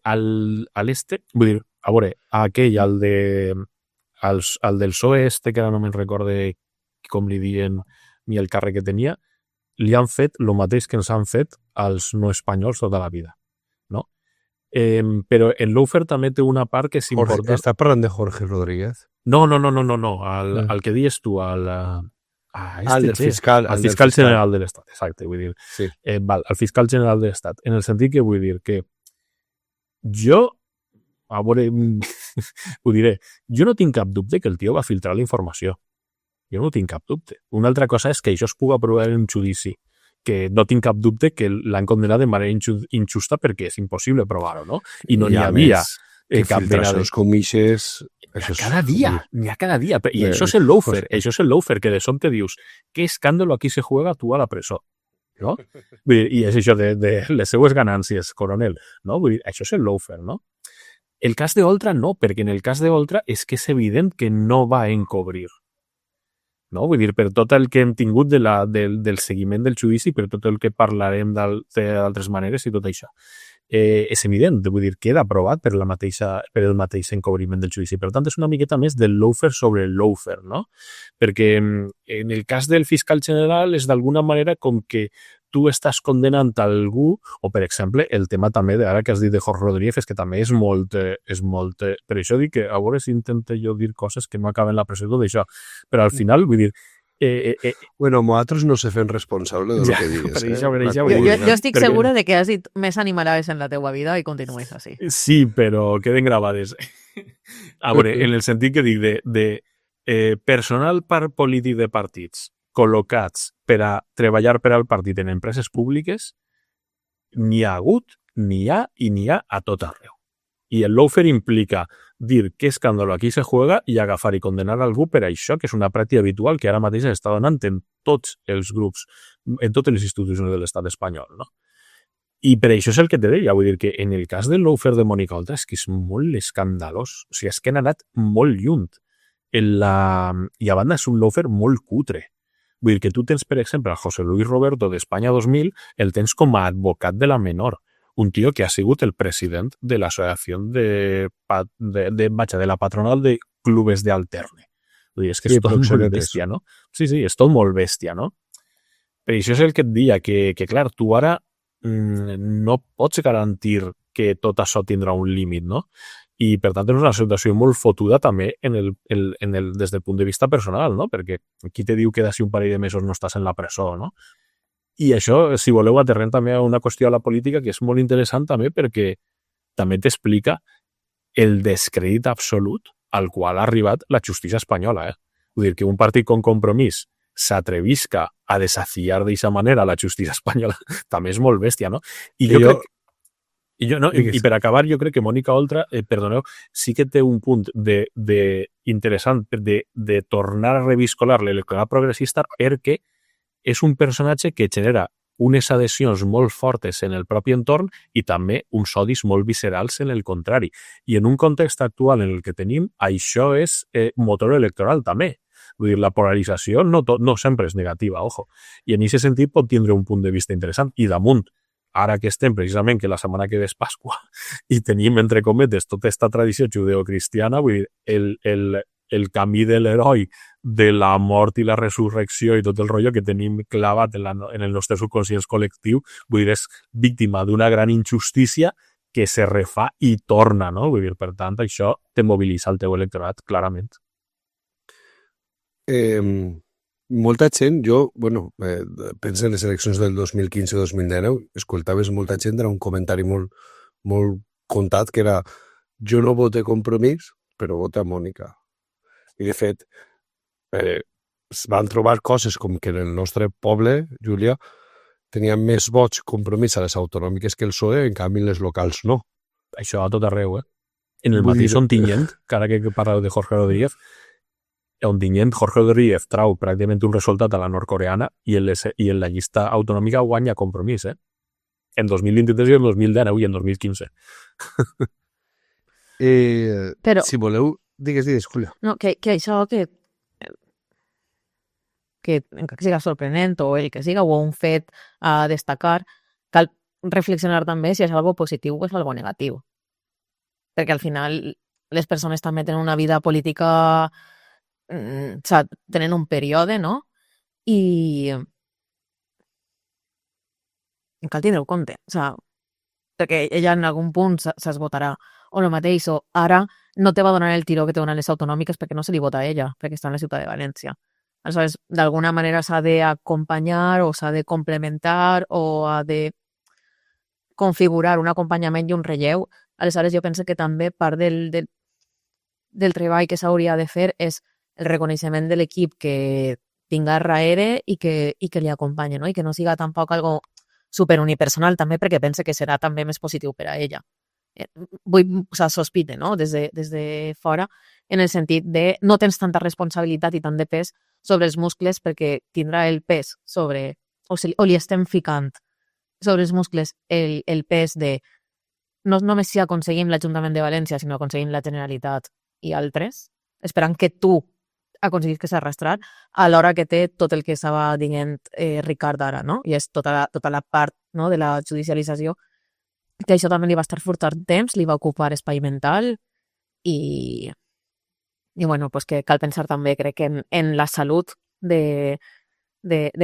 al este, vull dir, a veure, aquell, al del PSOE este, que ara no me'n recorde com li diuen ni el càrrec que tenia, li han fet el mateix que ens han fet als no espanyols tota la vida, no? Però el lawfare també té una part que és important. Estàs parlant de Jorge Rodríguez? No, al que dius tu, al fiscal general de l'Estat, exacte, vull dir, sí. Al fiscal general de l'Estat, en el sentit que vull dir que jo, a veure, ho diré, jo no tinc cap dubte que el tio va filtrar la informació. Jo no tinc cap dubte. Una altra cosa és que això es pugui aprovar en un judici, que no tinc cap dubte que l'han condemnat de manera injusta perquè és impossible provar-ho, no? I no n'hi havia cap filtracions com ixes... N'hi ha cada dia. I això és el lawfare. Això és el lawfare, que de sobte dius, què escàndalo aquí se juega, tu a la presó. No? I és això de les seues ganàncies, coronel. No? Vull dir, això és el lawfare, no? El cas d'Oltra no, perquè en el cas d'Oltra és que és evident que no va encobrir. No? Vull dir, per tot el que hem tingut del seguiment del judici, per tot el que parlarem d'altres maneres i tot això. És evident, vull dir, queda aprovat per el mateix encobriment del judici. Per tant, és una miqueta més del lawfare sobre el lawfare, no? Perquè en el cas del fiscal general és d'alguna manera com que tu estàs condenant algú, o per exemple, el tema també, ara que has dit de Jorge Rodríguez, és que també és molt... Per això dic que a veure si intento jo dir coses que no acaben la presó d'això. Però al final, vull dir... Bueno, nosaltres no se fem responsable de lo que digues. Jo estic segura de que has dit més animalades en la teua vida i continues així. Sí, però queden gravades. A veure, en el sentit que dic de personal polític de partits col·locats per a treballar per al partit en empreses públiques, n'hi ha hagut, n'hi ha i n'hi ha a tot arreu. I el lawfare implica dir què escàndalo aquí se juega i agafar i condenar algú per això, que és una pràctica habitual que ara mateix està donant en tots els grups, en totes les institucions de l'estat espanyol, no? I per això és el que te deia, vull dir que en el cas del lawfare de Mónica Oltra és que és molt escandalós, o sigui, és que han anat molt lluny. I a banda és un lawfare molt cutre. Vull dir que tu tens, per exemple, a José Luis Roberto d'Espanya 2000, el tens com a advocat de la menor. Un tío que ha sigut el president de l'associació de la patronal de clubes d'alterne. Vull dir, és que és tot molt bèstia, no? Sí, és tot molt bèstia, no? Per això és el que et deia, que clar, tu ara no pots garantir que tot això tindrà un límit, no? I, per tant, és una situació molt fotuda també des del punt de vista personal, no? Perquè qui te diu que d'ací un parell de mesos no estàs en la presó, no? I això, si voleu, aterrem també a una qüestió a la política que és molt interessant també perquè també t'explica el descrèdit absolut al qual ha arribat la justícia espanyola. Vull dir que un partit com Compromís s'atrevisca a desafiar d'aquesta manera la justícia espanyola també és molt bèstia, no? I jo crec... I per acabar, jo crec que Mónica Oltra, perdoneu, sí que té un punt interessant de tornar a reviscolar l'electorat progressista perquè és un personatge que genera unes adhesions molt fortes en el propi entorn i també uns odis molt viscerals en el contrari. I en un context actual en el que tenim, això és motor electoral també. Vull dir, la polarització no sempre és negativa, ojo. I en aquest sentit pot tindre un punt de vista interessant. I damunt, ara que estem precisament que la setmana que ve és Pasqua i tenim, entre cometes, tota aquesta tradició judeocristiana, vull dir, el camí de l'heroi de la mort i la resurrecció i tot el rotllo que tenim clavat en el nostre subconscient col·lectiu, vull dir, és víctima d'una gran injustícia que se refà i torna, no? Vull dir, per tant, això te mobilitza el teu electorat, clarament. Molta gent, penso en les eleccions del 2015-2019, escoltaves molta gent, era un comentari molt contat, que era jo no vote Compromís, però vote a Mònica. I, de fet, es van trobar coses com que en el nostre poble, Júlia, tenia més vots Compromís a les autonòmiques que el PSOE, en canvi les locals no. Això a tot arreu, En el mateix Ontinyent, que ara que parleu de Jorge Rodríguez, Ontinyent, Jorge Rodríguez trau pràcticament un resultat a la nord-coreana i en la llista autonòmica guanya Compromís, En 2023 i en 2019 i en 2015. Però... Si voleu... Digues, Julia. No, que això encara que siga sorprenent o el que siga, o un fet a destacar, cal reflexionar també si és algo positiu o és algo negatiu. Perquè al final les persones també tenen una vida política, tenen un període, no? I cal tindre-ho compte, perquè ella en algun punt s'esgotarà. O el mateix, o ara no te va donar el tiró que te donen les autonòmiques perquè no se li vota a ella, perquè està en la ciutat de València. Aleshores, d'alguna manera s'ha d'acompanyar o s'ha de complementar o ha de configurar un acompanyament i un relleu. Aleshores, jo penso que també part del treball que s'hauria de fer és el reconeixement de l'equip que tinga darrere i que li acompanyi, no? I que no siga tampoc algo superunipersonal també, perquè pense que serà també més positiu per a ella. Sospite, no? Des de fora, en el sentit de no tens tanta responsabilitat i tant de pes sobre els muscles perquè tindrà el pes sobre, o li estem ficant sobre els muscles el pes de no només si aconseguim l'Ajuntament de València, sinó aconseguim la Generalitat i altres, esperant que tu aconseguis que s'arrastrar a l'hora que té tot el que estava dient Ricard ara, no? I és tota la part, no, de la judicialització, que això també li va estar furtant temps, li va ocupar espai mental i bueno, pues que cal pensar també, crec, en la salut de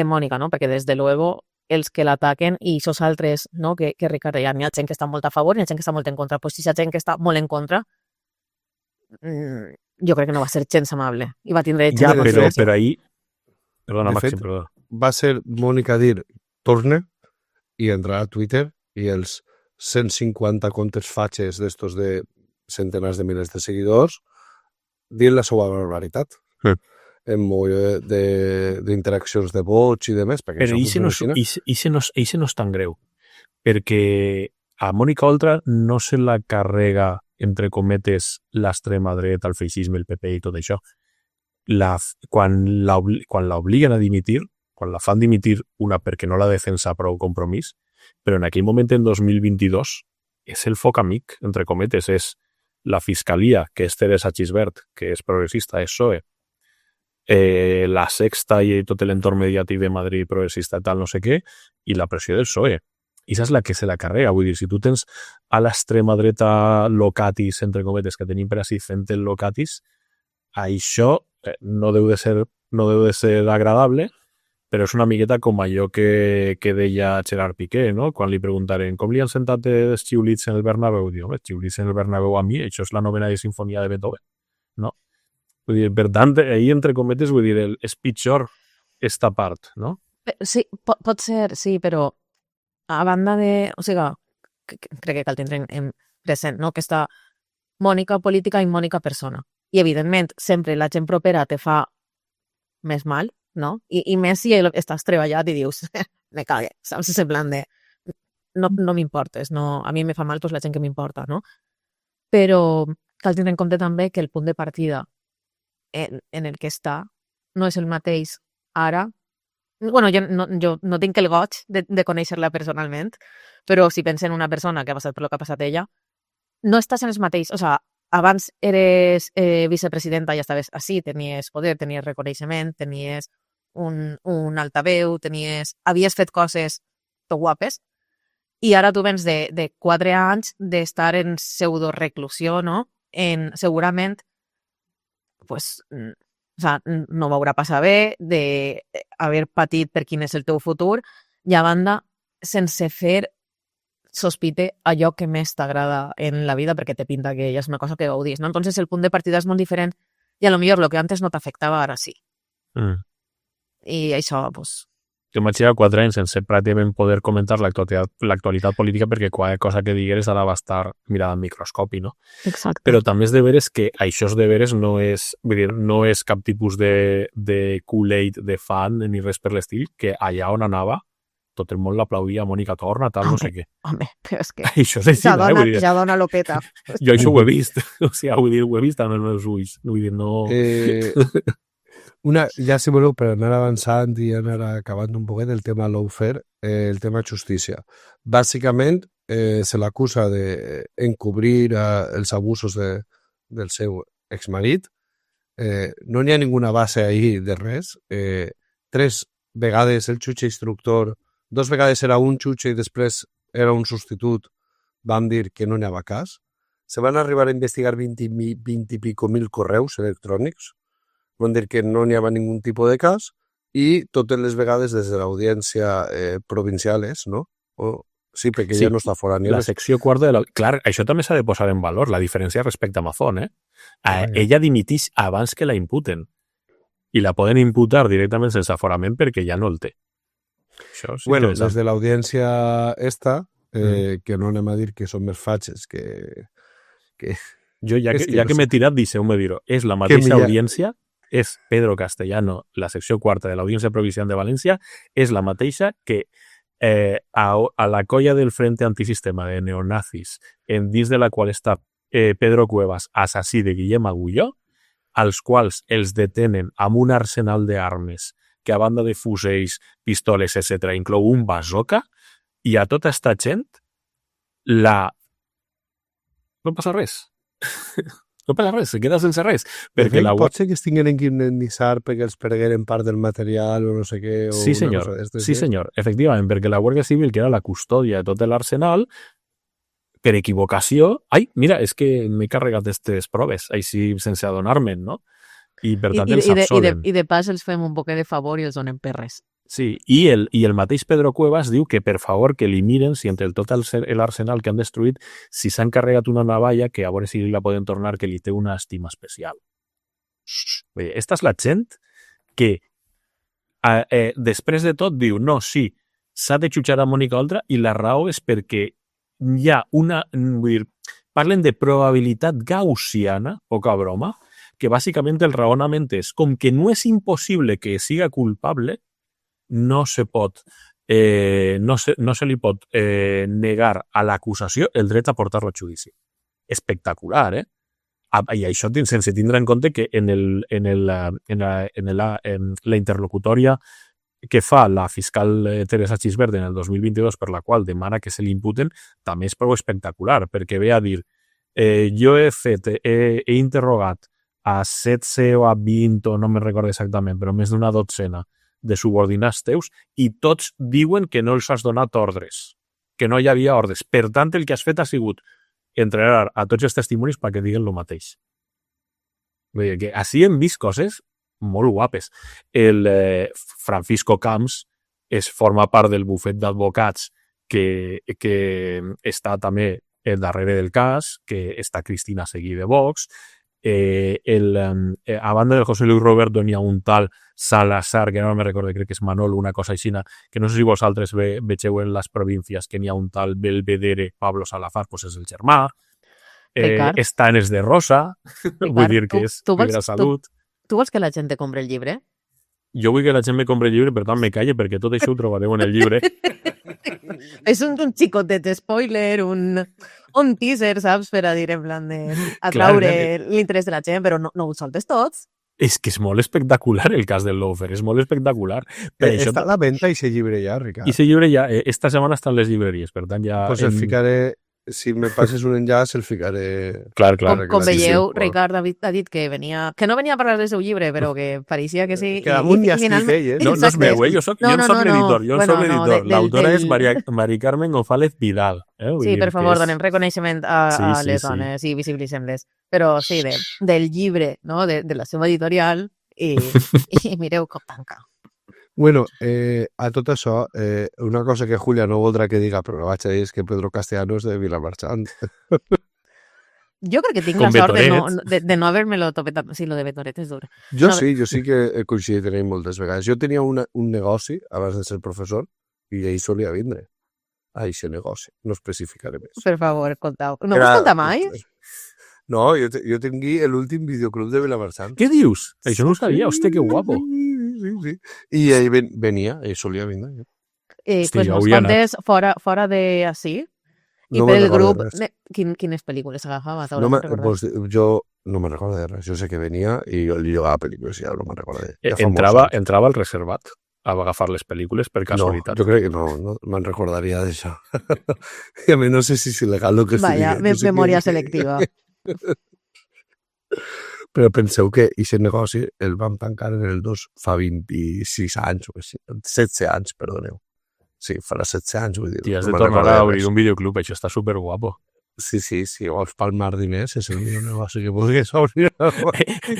Mònica, no? Perquè des de luego els que l'ataquen i esos altres, no? Que Ricard deia, hi ha gent que està molt a favor i hi ha gent que està molt en contra. Pues si hi ha gent que està molt en contra, jo crec que no va ser gens amable i va tindre ja, però ahí perdona, Màxim, perdona. Va ser Mònica dir torne i entrar a Twitter i els 150 comptes fatxes d'estos de centenars de milers de seguidors dir la seva barbaritat en molt d'interaccions de vots i de més. Però això no és tan greu, perquè a Mònica Oltra no se la carrega entre cometes l'extrema dreta, el feixisme, el PP i tot això. Quan l'obliguen a dimitir, quan la fan dimitir una perquè no la defensa prou compromís, però en aquell moment, en 2022, és el foc amic, entre cometes, és la Fiscalia, que és Teresa Xisbert, que és progressista, és PSOE, la Sexta i tot l'entorn mediàtic de Madrid progressista i tal, no sé què, i la pressió del PSOE. I és la que se la carrega. Vull dir, si tu tens a l'extrema dreta locatis, entre cometes, que tenim per així fent el locatis, això no deu de ser agradable, però és una miqueta com allò que deia Gerard Piqué, no? Quan li preguntaren com li han sentat els xiulits en el Bernabéu, diu, els xiulits en el Bernabéu a mi, això és la novena de sinfonia de Beethoven, no? Vull dir, per tant, ahir, entre cometes, vull dir, és pitjor esta part, no? Sí, pot ser, sí, però a banda de... O sigui, crec que cal tindre en present, no?, que està Mònica política i Mònica persona. I, evidentment, sempre la gent propera te fa més mal, no? I més si estàs treballat i dius, me cague, saps? És en plan de... No m'importes, no, a mi me fa mal pues, la gent que m'importa, no? Però cal tindre en compte també que el punt de partida en el que està no és el mateix ara. Bueno, jo no tinc el goig de conèixer-la personalment, però si penso en una persona que ha passat per lo que ha passat ella, no estàs en els mateixos. O sigui, abans eres vicepresidenta i estaves així, tenies poder, tenies reconeixement, tenies un altaveu, havies fet coses tot guapes, i ara tu vens de 4 anys d'estar en pseudo-reclusió, no? Segurament, pues... O sigui, no m'haurà passat bé d'haver patit per quin és el teu futur i, a banda, sense fer sospite allò que més t'agrada en la vida perquè te pinta que ja és una cosa que gaudís, no? Entonces el punt de partida és molt diferent i a lo millor lo que antes no t'afectava ara sí. I això, pues... Jo m'haig llevat 4 anys sense pràcticament poder comentar l'actualitat política perquè qualsevol cosa que digueres ara va estar mirada en microscopi, no? Exacte. Però també és de veres que això de veres no és, vull dir, no és cap tipus de Kool-Aid de fan ni res per l'estil, que allà on anava tot el món l'aplaudia, Mònica torna, tal, no sé què. Home, però és que... Això és així, ja dona l'opeta. Jo això ho he vist, o sigui, vull dir, ho he vist amb els meus ulls, vull dir, no... Ja si voleu, per anar avançant i anar acabant un poquet el tema lawfare, el tema justícia. Bàsicament, se l'acusa d'encobrir els abusos del seu exmarit. No n'hi ha ninguna base ahí de res. 3 vegades el jutge instructor, 2 vegades era un jutge i després era un substitut, van dir que no n'hi havia cas. Se van arribar a investigar 20 i pico mil correus electrònics, van dir que no n'hi havia ningú tipus de cas, i totes les vegades des de l'audiència provincial és, no? Sí, perquè ja no està fora ni la secció quarta de la... Clar, això també s'ha de posar en valor, la diferència respecte a Mazón, ella dimitix abans que la imputen. I la poden imputar directament sense aforament perquè ja no el té. Això és bueno, des de l'audiència esta, que no anem a dir que són més fatxes que... Jo, ja que m'he tirat, deixeu-me dir-ho. És la mateixa audiència, és Pedro Castellano, la secció quarta de l'Audiència Provincial de València, és la mateixa que a la colla del Frente Antisistema de neonazis, dins de la qual està Pedro Cuevas, assassí de Guillem Agulló, als quals els detenen amb un arsenal d'armes que a banda de fusells, pistoles, etc., inclou un bazooka, i a tota esta gent no passa res. No passa res, se queda sense res. Perquè pot ser que es tinguin que indemnitzar perquè els pergueren part del material o no sé què. O sí, senyor. Sí, senyor. Efectivament, perquè la Guàrdia Civil, que era la custòdia de tot l'arsenal, per equivocació... Ai, mira, és que m'he carregat aquestes proves, així sense adonar-me'n, no? I per tant els absolen. I de pas els fem un poquet de favor i els donem perres. Sí, i el mateix Pedro Cuevas diu que per favor que li miren si entre tot l'arsenal que han destruït, si s'han carregat una navalla, que a veure si la poden tornar, que li té una estima especial. Bé, esta és la gent que després de tot diu, no, sí, s'ha de jutjar a Mònica Oltra i la raó és perquè hi ha una... Vull dir, parlen de probabilitat gaussiana, poca broma, que bàsicament el raonament és com que no és impossible que siga culpable, no se li pot negar a l'acusació el dret a portar-lo a judici. Espectacular, eh? I això sense tindre en compte que en la interlocutòria que fa la fiscal Teresa Xisbert en el 2022, per la qual demana que se li imputen, també és prou espectacular, perquè ve a dir jo he interrogat a 16 o a 20, o no me'n recordo exactament, però més d'una dotzena de subordinats teus, i tots diuen que no els has donat ordres, que no hi havia ordres. Per tant, el que has fet ha sigut entregar a tots els testimonis perquè diguen el mateix. Vull dir que així hem vist coses molt guapes. El Francisco Camps forma part del bufet d'advocats que està també darrere del cas, que està Cristina Seguí de Vox. A banda del José Luis Roberto n'hi ha un tal Salazar, que no me recordo, crec que és Manol, una cosa així, que no sé si vosaltres vegeu en les províncies que n'hi ha un tal Belvedere Pablo Salazar, doncs és el germà. Està en els de Rosa, vull dir que és Primera Salut. Tu vols que la gent te compri el llibre? Jo vull que la gent me compri el llibre, per tant me calle, perquè tot això ho trobareu en el llibre. És un xicotet spoiler, un teaser, saps? Per a dir, en plan de atraure l'interès de la gent, però no ho soltes tots. És que és molt espectacular el cas del Loafer, és molt espectacular. Està a la venda i se llibre ja, Ricard. I se llibre ja, esta setmana estan les llibreries, per tant ja... Pues el ficaré... Si me passes un enllaç, el ficaré... Clar. Com veieu, Ricard ha dit que venia... Que no venia a parlar del seu llibre, però que pareixia que sí. Que damunt ja estic ell, No és meu, jo soc l'editor. L'autora és Mari Carmen González Vidal. Sí, per favor, donem reconeixement a les dones i visibilitzem-les. Però sí, del llibre, no? De la seva editorial, i mireu com tanca. Bueno, a tot això, una cosa que Julia no voldrà que diga, però vaig a dir, és que Pedro Castellano és de Vilamarchant. Jo crec que tinc la sort de no haver-me-lo topetat. Sí, lo de Betoret és dur. Jo sí que he coincidit en ell moltes vegades. Jo tenia un negoci, abans de ser professor, i ell solia vindre a aquest negoci. No especificaré més. Per favor, contau. No m'ho conta mai? No, jo tingui l'últim videoclub de Vilamarchant. Què dius? Això no ho sabia. Hòstia, que guapo. Sí. I ell venia, ell solia vindre. Pues nos contes fora de així, i per el grup, quines pel·lícules agafava? Jo no me'n recordo de res. Jo sé que venia i jo li jugava pel·lícules, ja no me'n recordo. Entrava al reservat a agafar les pel·lícules per casualitat. No, jo crec que no me'n recordaria d'això. I a mi no sé si és il·legal el que estic dient. Vaya, memòria selectiva. Però penseu que aquest negoci el vam tancar en el 2 fa 26 anys, o així, 17 anys, perdoneu. Sí, farà 17 anys, vull dir. T'hi has de tornar a obrir un videoclub, això està superguapo. Sí, si vols palmar diners és el millor negoci que puguis obrir.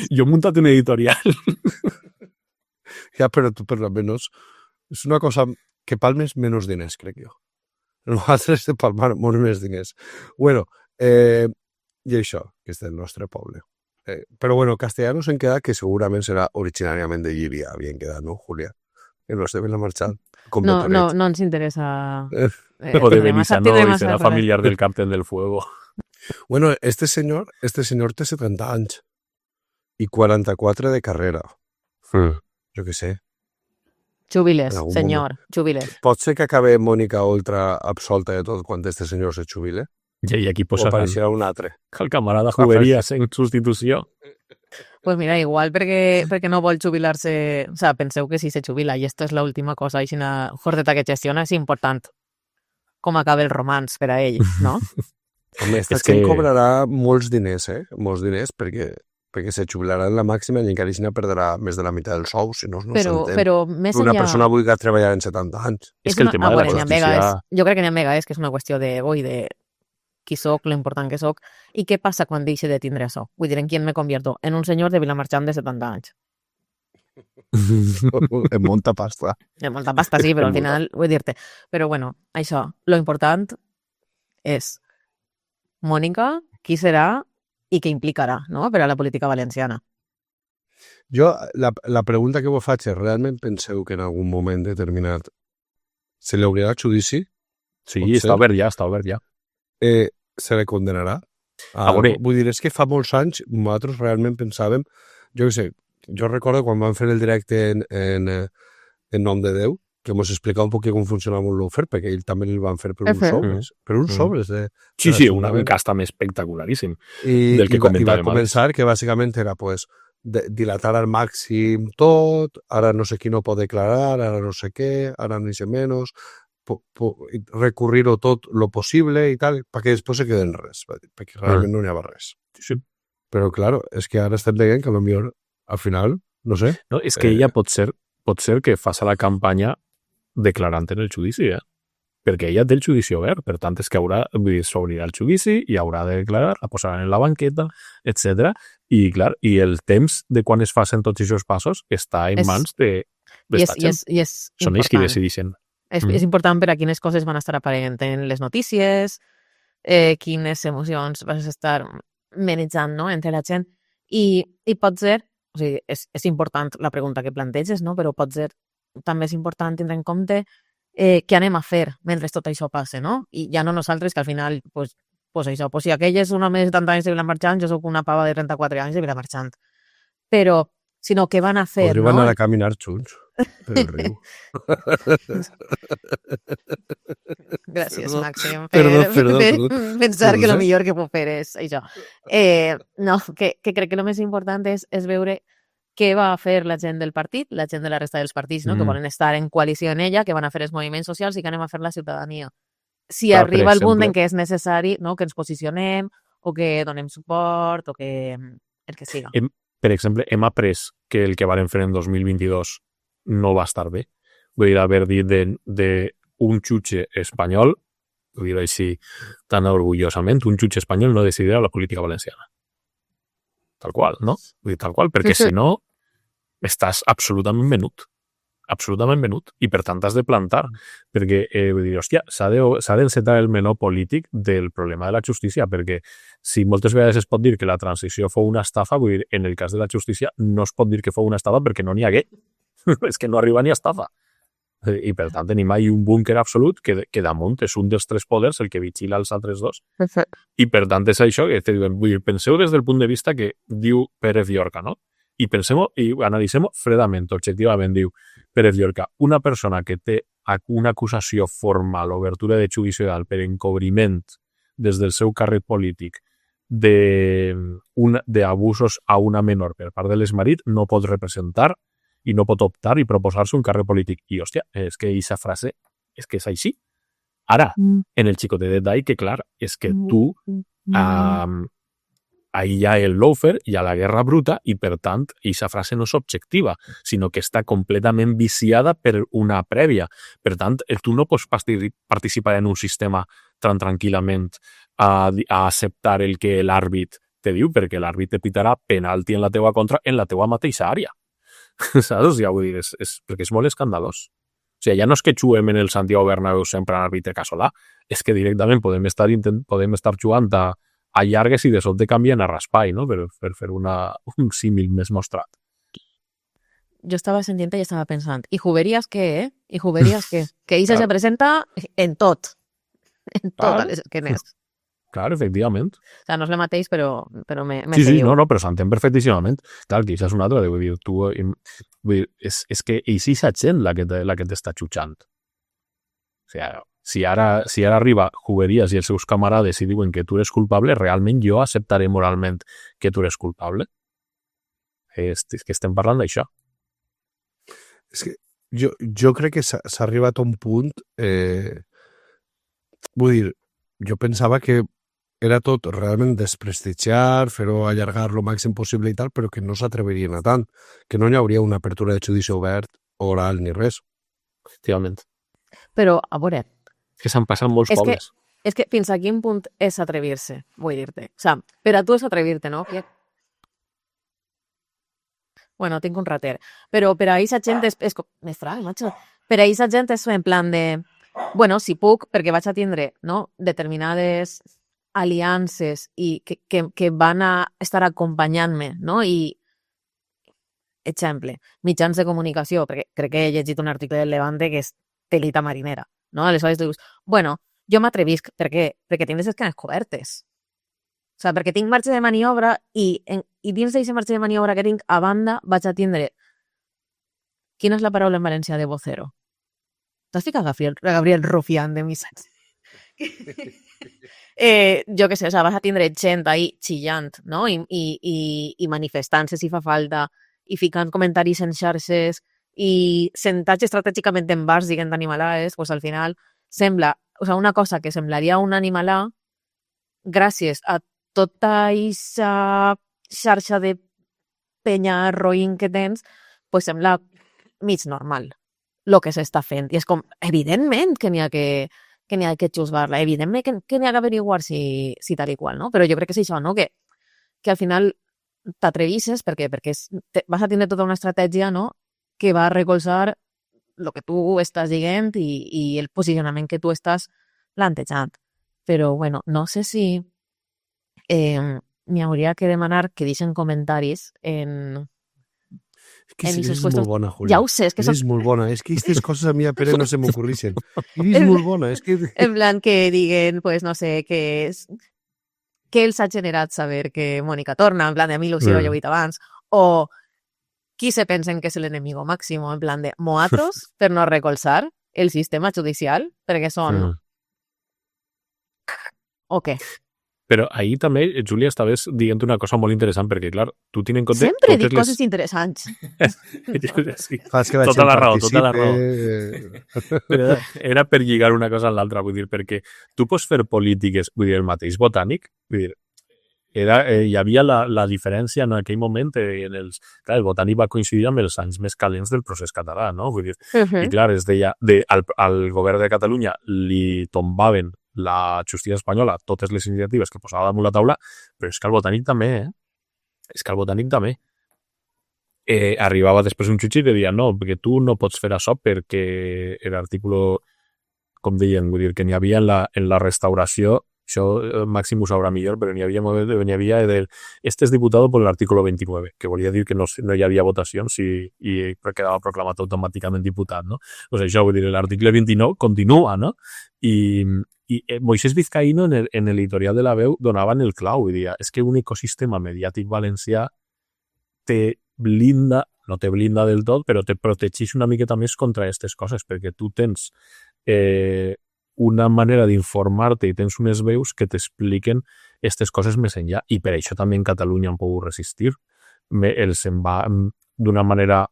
Jo he muntat un editorial. Ja, però tu per lo menos és una cosa que palmes menys diners, crec jo. Nosaltres de palmar molts més diners. Bueno, i això, que és del nostre poble. Però bueno, Castellanos en queda que segurament serà originàriament de Llíria, havien quedat, no, Júlia? Que no estem en la marxa. No ens interesa. O de Benissanó i serà familiar del Captain del Fuego. Bueno, este señor té 70 anys i 44 de carrera. Jo què sé. Jubiles, senyor, jubiles. Pot ser que acabe Mònica Oltra absolta de tot quan este senyor se jubile? I aquí O apareixerà un altre. El camarada Juberías en substitució. Pues mira, igual perquè no vol jubilar-se, o sea, penseu que si se jubila i esto és l'última cosa, i si una jordeta que gestiona és important com acaba el romanç per a ell, no? Home, esta gent cobrarà molts diners, Molts diners, perquè se jubilarà en la màxima i encara així perdrà més de la meitat del sou, si no s'entén. Però més una enllà... persona vulgui treballar en 70 anys. És que el tema de la justícia... Jo crec que n'hi ha vegades que és una qüestió d'ego i de qui soc, lo important que soc, i què passa quan deixe de tindre això? Vull dir, en qui me convierto? En un senyor de Vilamarxant de 70 anys. En molta pasta. En molta pasta, sí, però al final, vull dir-te. Però bueno, això, lo important és Mònica, qui serà i què implicarà, no?, per a la política valenciana. Jo, la pregunta que vos faig és, realment penseu que en algun moment determinat se li obrirà judici? Sí, està obert ja. Se le condenarà? veure. Vull dir, és que fa molts anys nosaltres realment pensàvem, jo què sé, jo recordo quan vam fer el directe en nom de Déu, que mos explicava un poc com funcionava un lawfare, perquè ell també el van fer per uns sobres. Per uns sobres. Sí, un cas també espectacularíssim del que comentàvem. I va començar que bàsicament era pues, dilatar al màxim tot, ara no sé qui no pot declarar, ara no sé què, ara ni sé menys, recurrir-ho tot lo possible i tal, perquè després se queden res, perquè realment no n'hi havia res. Sí. Però, claro, és que ara estem dient que potser al final, no sé... No, és que ella pot ser que faci la campanya declarant en el judici, perquè ella té el judici obert, per tant és que s'obrirà el judici i haurà de declarar, la posaran en la banqueta, etc. I, clar, i el temps de quan es facin tots aquests passos està en mans d'esta gent. Són ells qui decideixen. És important per a quines coses van estar aparent en les notícies, quines emocions vas estar manejant, no?, entre la gent. I pot ser, o sigui, és important la pregunta que planteges, no?, però pot ser també és important tindre en compte què anem a fer mentre tot això passe, no? I ja no nosaltres, que al final, pues això, si aquell és un home de 70 anys de Vilamarxant, jo soc una pava de 34 anys de Vilamarxant. Però, sinó què van a fer, no? Podríem anar a caminar junts per el riu. Gràcies, Màxim, Perdó. Pensar que el millor que puc fer és això. No, que crec que el més important és veure què va fer la gent del partit, la gent de la resta dels partits, no? Que volen estar en coalició en ella, que van a fer els moviments socials i que anem a fer la ciutadania. Si arriba el punt en què és necessari, no?, que ens posicionem o que donem suport o que el que siga. Per exemple, hem après que el que varen fer en 2022 no va estar bé. Vull dir, haver dit d'un jutge espanyol, vull dir així tan orgullosament, un jutge espanyol no decidirà la política valenciana. Tal qual, no? Vull dir, tal qual, perquè si no estàs absolutament venut. Absolutament venut. I per tant has de plantar. Perquè, vull dir, hòstia, s'ha d'encetar el menor polític del problema de la justícia, perquè si moltes vegades es pot dir que la transició fou una estafa, vull dir, en el cas de la justícia no es pot dir que fou una estafa perquè no n'hi hagué. És que no arriba ni a estafa. I per tant tenim ahí un búnquer absolut que damunt és un dels tres poders, el que vigila els altres dos. I per tant és això que te diuen, vull dir, penseu des del punt de vista que diu Pérez Llorca, no? I pensem i analitzem fredament, objectivament, diu Pérez Llorca, una persona que té una acusació formal, obertura de judici oral per encobriment des del seu càrrec polític d'abusos a una menor per part de l'exmarit, no pot representar i no pot optar i proposar-se un càrrec polític. I, hòstia, és que aquesta frase és que és així. Ara, en el xicotet detall, que clar, és que tu ahí hi ha el lawfare, hi ha la guerra bruta i, per tant, aquesta frase no és objectiva, sinó que està completament viciada per una prèvia. Per tant, tu no pots participar en un sistema tan tranquil·lament a acceptar el que l'àrbit te diu, perquè l'àrbit te pitarà penalti en la teua contra en la teua mateixa àrea. Saps? Ja vull dir, perquè és molt escandalós. O sigui, ja no és que juguem en el Santiago Bernabéu sempre en àrbitre casolà, és que directament podem estar jugant a llargues i de sobte canvien a raspall, no? Per fer un símil més mostrat. Jo estava sentint i estava pensant, ¿y Juberías qué, eh? ¿Y Juberías qué? Que Isa se presenta en tot. En totes les esquenes. Clar, efectivament. O sea, no és el mateix, però me sí, seguiu. No, però s'entén perfectíssimament. Clar, que això és una altra, vull dir, és que és gent la que t'està xutxant. O sigui, si ara arriba Juberías i els seus camarades i diuen que tu eres culpable, realment jo acceptaré moralment que tu eres culpable. És que estem parlant d'això. És que jo crec que s'ha arribat a un punt... vull dir, jo pensava que era tot realment desprestigiar, fer-ho allargar lo màxim possible i tal, però que no s'atrevirien a tant, que no hi hauria una apertura de judici obert, oral, ni res. Efectivament. Però, a veure... És que s'han passat molts pobles. És que fins a quin punt és atrevir-se, vull dir-te. O sigui, per a tu és atrevir-te, no? Bueno, tinc un rater. Però per a aquesta gent és m'estrany, macho. Per a aquesta gent és en plan de... Bueno, si puc, perquè vaig a tindre, no?, determinades aliances i que van a estar acompanyant-me, no? I, exemple, mitjans de comunicació, perquè crec que he llegit un article del Levante que és telita marinera, no? Aleshores tu dius, bueno, jo m'atrevisc, per què? Perquè tinc les esquenes cobertes. O sigui, perquè tinc marge de maniobra i dins d'aquest marge de maniobra que tinc, a banda, vaig a tindre... Quina és la paraula en valencià de vocero? T'has ficat Gabriel Rufián de missatge? Jo què sé, o sigui, vas a tindre gent ahí xillant, no? I manifestant-se si fa falta, i ficant comentaris en xarxes, i sentats estratègicament en bars dient animalades, pues al final sembla, o sigui, una cosa que semblaria un animalà, gràcies a tota aquesta xarxa de penya roïn que tens, pues sembla mig normal el que s'està fent. I és com, evidentment que n'hi ha que juzgar-la, evidentment que n'hi ha que averiguar si tal i qual, no? Però jo crec que és això, no? Que al final t'atrevisses perquè vas a tindre tota una estratègia, no?, que va a recolzar el que tu estàs dient i el posicionament que tu estàs plantejant. Però, bueno, no sé si m'hi hauria que demanar que deixen comentaris en... És que és molt bona, Julia. Ja ho sé, és que és molt bona. És que aquestes coses a mi a Pere no se m'ocorreixen. És molt bona. És que... En plan que diguen, pues no sé, que els ha generat saber que Mònica torna, en plan de a mi il·lusió, jo ho he dit abans, o qui se pensen que és l'enemigo màximo, en plan de moatros per no recolzar el sistema judicial, perquè són... O què? Però ahir també, Júlia, estaves dient una cosa molt interessant, perquè, clar, tu tens en compte... Sempre dic coses interessants. Sí, tota la raó. Però era per lligar una cosa amb l'altra, vull dir, perquè tu pots fer polítiques, vull dir, el mateix Botànic, vull dir, hi havia la diferència en aquell moment, clar, el Botànic va coincidir amb els anys més calents del procés català, no? Vull dir, i clar, es deia, al govern de Catalunya li tombaven la justícia espanyola, totes les iniciatives que posava damunt la taula, però és que el Botànic també, És que el Botànic també. Arribava després un jutge i deia, no, perquè tu no pots fer això perquè l'article, com deien, vull dir, que n'hi havia en la restauració, això Màxim ho sabrà millor, però n'hi havia este és diputado por el artículo 29, que volia dir que no hi havia votacions i quedava proclamat automàticament diputat, no? O sigui, això, vull dir, l'article 29 continua, no? I Moisés Vizcaíno en l'editorial de La Veu donaven el clau, vull dir, és que un ecosistema mediàtic valencià te blinda, no te blinda del tot, però te protegeix una miqueta més contra aquestes coses, perquè tu tens una manera d'informar-te i tens unes veus que t'expliquen aquestes coses més enllà, i per això també en Catalunya han pogut resistir. Els en va d'una manera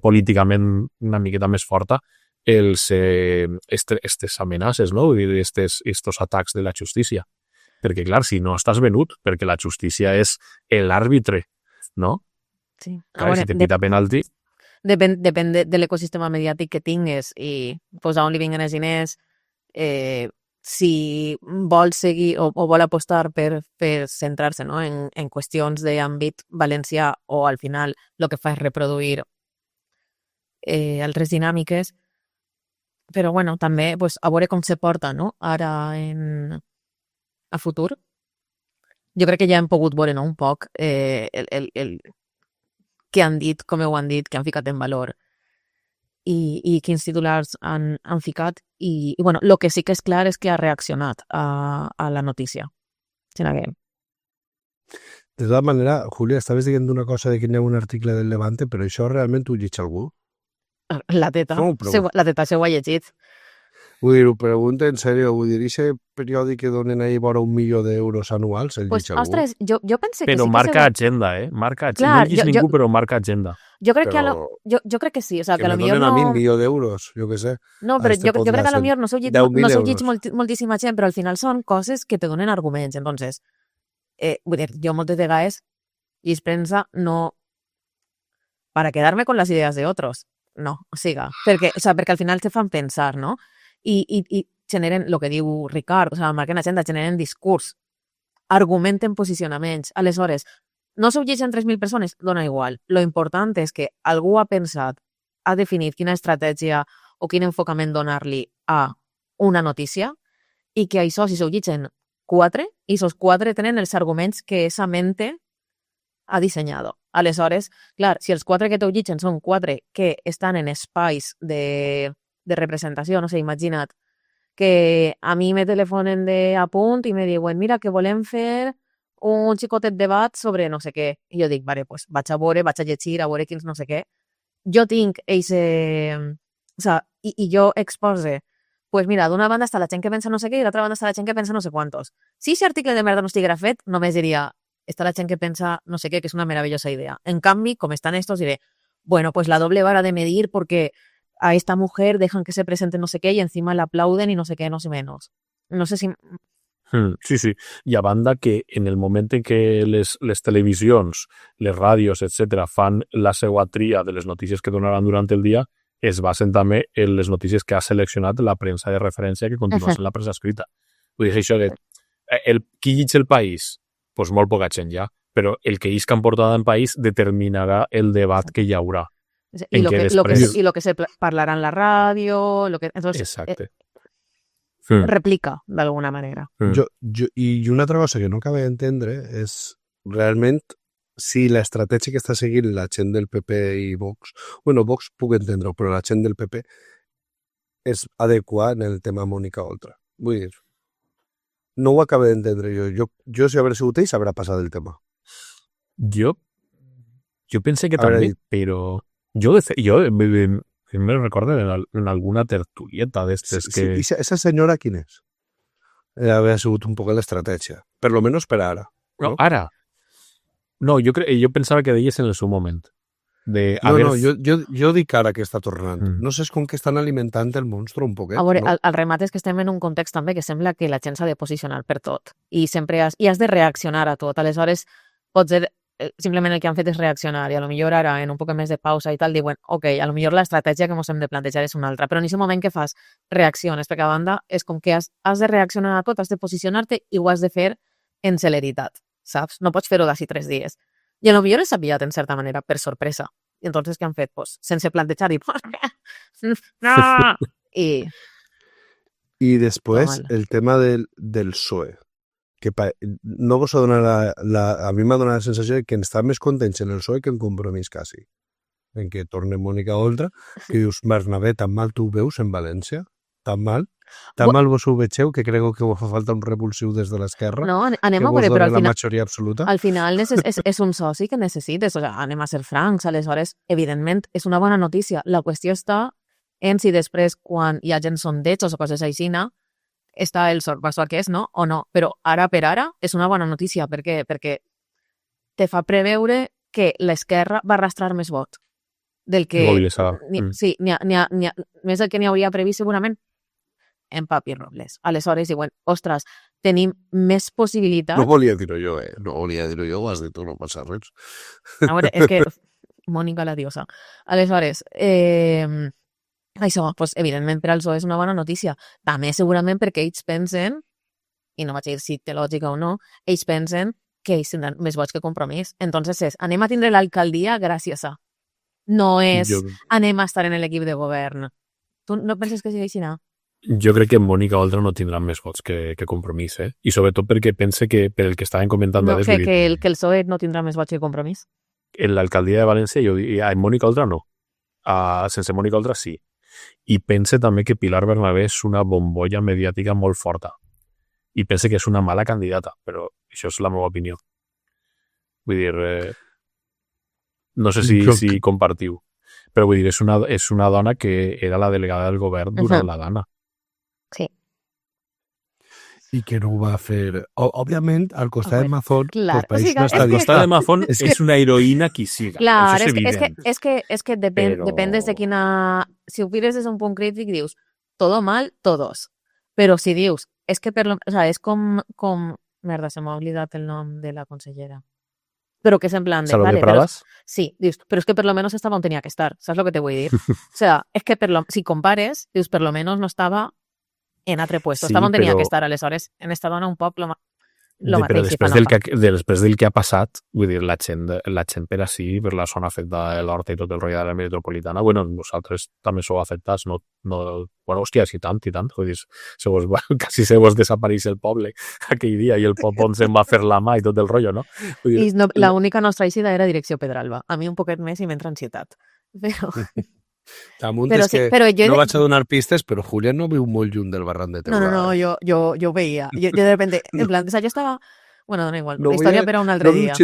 políticament una miqueta més forta aquestes amenaces, no? Vull dir, estos atacs de la justícia. Perquè, clar, si no estàs venut, perquè la justícia és l'àrbitre, no? Sí. Clar, si te pita penalti... Depèn de l'ecosistema mediàtic que tingues i pues, a on li vinguen els diners, si vol seguir o vol apostar per centrar-se, no? en qüestions d'àmbit valencià o al final el que fa és reproduir altres dinàmiques, però bueno, també pues, a veure com se porta, no? Ara a futur. Jo crec que ja hem pogut veure, no? Un poc el què han dit, com ho han dit, què han ficat en valor i quins titulars han ficat i bueno, el que sí que és clar és que ha reaccionat a la notícia. De totes maneres, Júlia, estaves dient una cosa de que hi ha un article del Levante, però això realment ho llegeix algú? La teta s'ho ha llegit. Vull dir, ho pregunto en sèrio, vull dir, aquest periòdic que donen ahí vora €1.000.000 anuals, el pues, llegeix algú? Ostres, jo pensé que però sí que marca agenda, Marca agenda. Clar, no llegeix ningú, però marca agenda. Jo crec Però... jo crec que sí, o sea, que me a lo millor donen no... a mi €1.000.000, jo què sé. No, però jo crec que a lo millor no s'ho llegit moltíssima gent, però al final són coses que te donen arguments. Entonces, vull dir, jo moltes vegades llegeix premsa no para quedarme con las ideas de otros, no, o sigui, perquè al final te fan pensar, no? I generen, el que diu Ricard, o sigui, marquen agenda, generen discurs, argumenten posicionaments. Aleshores, no s'ho llegeixen 3.000 persones, dona igual. Lo important és que algú ha pensat, ha definit quina estratègia o quin enfocament donar-li a una notícia i que això, si s'ho llegeixen 4, i esos 4 tenen els arguments que esa mente ha dissenyat. Aleshores, clar, si els 4 que t'ho llegeixen són 4 que estan en espais de representació, no sé, imagina't que a mi me telefonen a punt i me diuen, mira, que volem fer un xicotet debat sobre no sé què. I jo dic, vale, pues vaig a veure, vaig a llegir, a veure quins no sé què. Jo tinc o sea, i jo expose, pues mira, d'una banda està la gent que pensa no sé què i d'altra banda està la gent que pensa no sé quantos. Si aquest article de merda no estiguera fet, només diria, està la gent que pensa no sé què, que és una meravellosa idea. En canvi, com estan estos, diré, bueno, pues la doble vara de medir porque a esta mujer dejan que se presente no sé qué y encima la aplauden y no sé qué, no sé menos. No sé si... Sí, sí. I a banda que en el moment en què les televisions, les ràdios, etc., fan la seva tria de les notícies que donaran durant el dia, es basen també en les notícies que ha seleccionat la premsa de referència que continua sent la premsa escrita. Vull dir, això de... qui llig el país? Pues molt poca gent ja, però el que isca en portada en país determinarà el debat que hi haurà. Y lo que se parlarà en la ràdio, entonces, exacte. Replica d'alguna manera. I una altra cosa que no acabo d'entendre és realment si l'estratègia que està seguint la gent del PP i Vox, bueno, Vox puc entendre-ho, però la gent del PP és adequada en el tema Mònica Oltra. Vull dir, no ho acabo d'entendre jo. Jo si haver sigut ells, haurà passat el tema. Jo pensé que també, però... Jo me recordo en alguna tertulieta d'estes que... Sí, esa senyora quin és? Havia sigut un poc l'estratègia. Per lo menos per ara. No, ara. No, jo pensava que deies en el seu moment. Jo dic ara que està tornant. No sé com que estan alimentant el monstru un poquet. A veure, no? el remat és que estem en un context també que sembla que la gent s'ha de posicionar per tot. I sempre has de reaccionar a tot. Aleshores, potser simplement el que han fet és reaccionar i a lo millor ara, en un poc més de pausa i tal, diuen, ok, a lo millor l'estratègia que ens hem de plantejar és una altra, però en aquest moment que fas reacciones, perquè a banda és com que has de reaccionar a tot, has de posicionar-te i ho has de fer en celeritat, saps? No pots fer-ho d'ací 3 dies. I a lo millor és aviat, en certa manera, per sorpresa. I entonces què han fet? Pues, sense plantejar i... no! I després, el tema del PSOE. Que no vos ha donat a mi m'ha donat la sensació de que està més contents en el PSOE que en Compromís quasi. En què torna Mònica Oltra, que dius, Bernabé, tan mal tu ho veus en València? Tan mal? Tan mal vos ho vegeu que creu que vos fa falta un revulsiu des de l'esquerra? No, anem a veure, però al final... la majoria absoluta? Al final és un soci que necessites, o sigui, anem a ser francs, aleshores, evidentment, és una bona notícia. La qüestió està en si després, quan hi ha gent sondejos o coses així, està el sorpasso aquest, no? O no. Però ara per ara és una bona notícia. Per què? Perquè te fa preveure que l'esquerra va arrastrar més vot del que... Mobilitzar. Sí, més del que n'hi hauria previst segurament. en Papi Robles. Aleshores diuen, ostres, tenim més possibilitats... No volia dir-ho jo, No volia dir-ho jo, ho has dit tu, no passa res. A veure, és que... Mònica la diosa. Aleshores, això, doncs, evidentment, per al PSOE és una bona notícia. També, segurament, perquè ells pensen, i no vaig dir si té lògica o no, ells pensen que ells tindran més vots que Compromís. Entonces anem a tindre l'alcaldia gràcies a. No és anem a estar en l'equip de govern. Tu no penses que sigui així, no? Jo crec que Mònica Oltra no tindrà més vots que Compromís, I sobretot perquè pense que, per el que estaven comentant... No, que el PSOE no tindrà més vots que Compromís. En l'alcaldia de València, jo diria, en Mònica Oltra no. Sense Mònica Oltra sí. I pense també que Pilar Bernabé és una bombolla mediàtica molt forta. I pense que és una mala candidata, però això és la meva opinió. Vull dir, no sé si compartiu, però vull dir, és una dona que era la delegada del govern durant la gana. Sí. I que no ho va fer... Òbviament, al costat de Mazón, clar, el país no està... Al costat de Mazón és una heroïna qui siga. Clar, això és evident. És que depèn des de quina... Si ho mires des d'un punt crític, dius, todo mal, todos. Però si dius, és que o sea, és com... Merda, se m'ha oblidat el nom de la consellera. Però que és en plan de... Salomé Pradas? Sí, dius, però és que per lo menos estava on tenia que estar. Saps el que te vull dir? O sea, és que si compares, dius, per lo menos no estava en altre puesto. Sí, estava on tenia però... que estar, aleshores, en esta dona un poc lo Però després del que ha passat, vull dir, la gent per ací, per la zona afectada de l'Horta i tot el rotllo de la metropolitana, bueno, vosaltres també sou afectats, no, bueno, hòstia, sí tant, vull dir, quasi se vos desapareix el poble aquell dia i el poble on se'n va fer la mà i tot el rotllo, no? I l'única nostra eixida era direcció Pedralba. A mi un poquet més i m'entra ansietat. Però... Damunt és que no vaig a donar pistes, però Julián no viu molt lluny del barran de Teulada. No, jo ho veia. Jo de repente, en plan, o sea, yo estaba... Bueno, dona igual, la història per a un altre dia.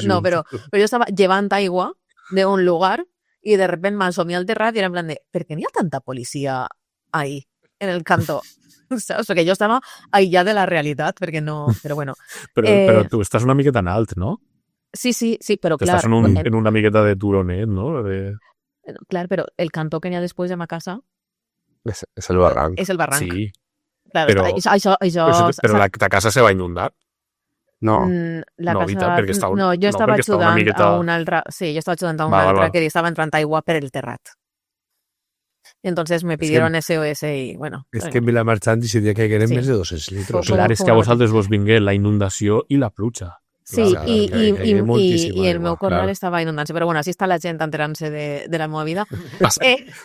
No, però jo estava llevant aigua d'un lugar i de repente m'assomia al terrat i era en plan de, ¿per qué n'hi ha tanta policia ahí, en el canto? Saps? Perquè jo estava aïllat de la realitat, perquè no... Però bueno. Però tu estàs una miqueta en alt, no? Sí, però clar... Estàs en una miqueta de turonet, no? Clar, però el cantó que n'hi ha després de ma casa... És el barranc. És el barranc. Sí. Clar, però la casa se va inundar. No. La no, casa... perquè estava, no, jo estava ajudant a una altra... Sí, jo estava ajudant a una altra que estava entrant aigua per el terrat. Y entonces me pidieron SOS y bueno... És que en Vilamarxant i si dia que hagueren més de 200 litres. Clar, és que a vosaltres vos vingué la inundació i la pluja. Sí, i el meu corral estava inundant-se, però bueno, així està la gent enterant-se de la meva vida.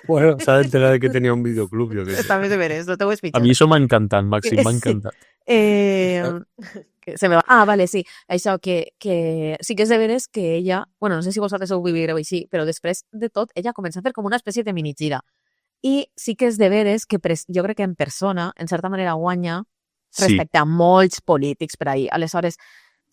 Bueno, s'ha d'enterar que tenia un videoclub. Està més de veres, no t'ho he explicat. A mi això m'ha encantat, Màxim, m'ha encantat. Se me va. Vale, sí. Això que sí que és de veres que ella, bueno, no sé si vosaltres ho vivireu així, però després de tot, ella comença a fer com una espècie de mini-gira. I sí que és de veres que jo crec que en persona, en certa manera, guanya respecte a molts polítics per ahir. Aleshores,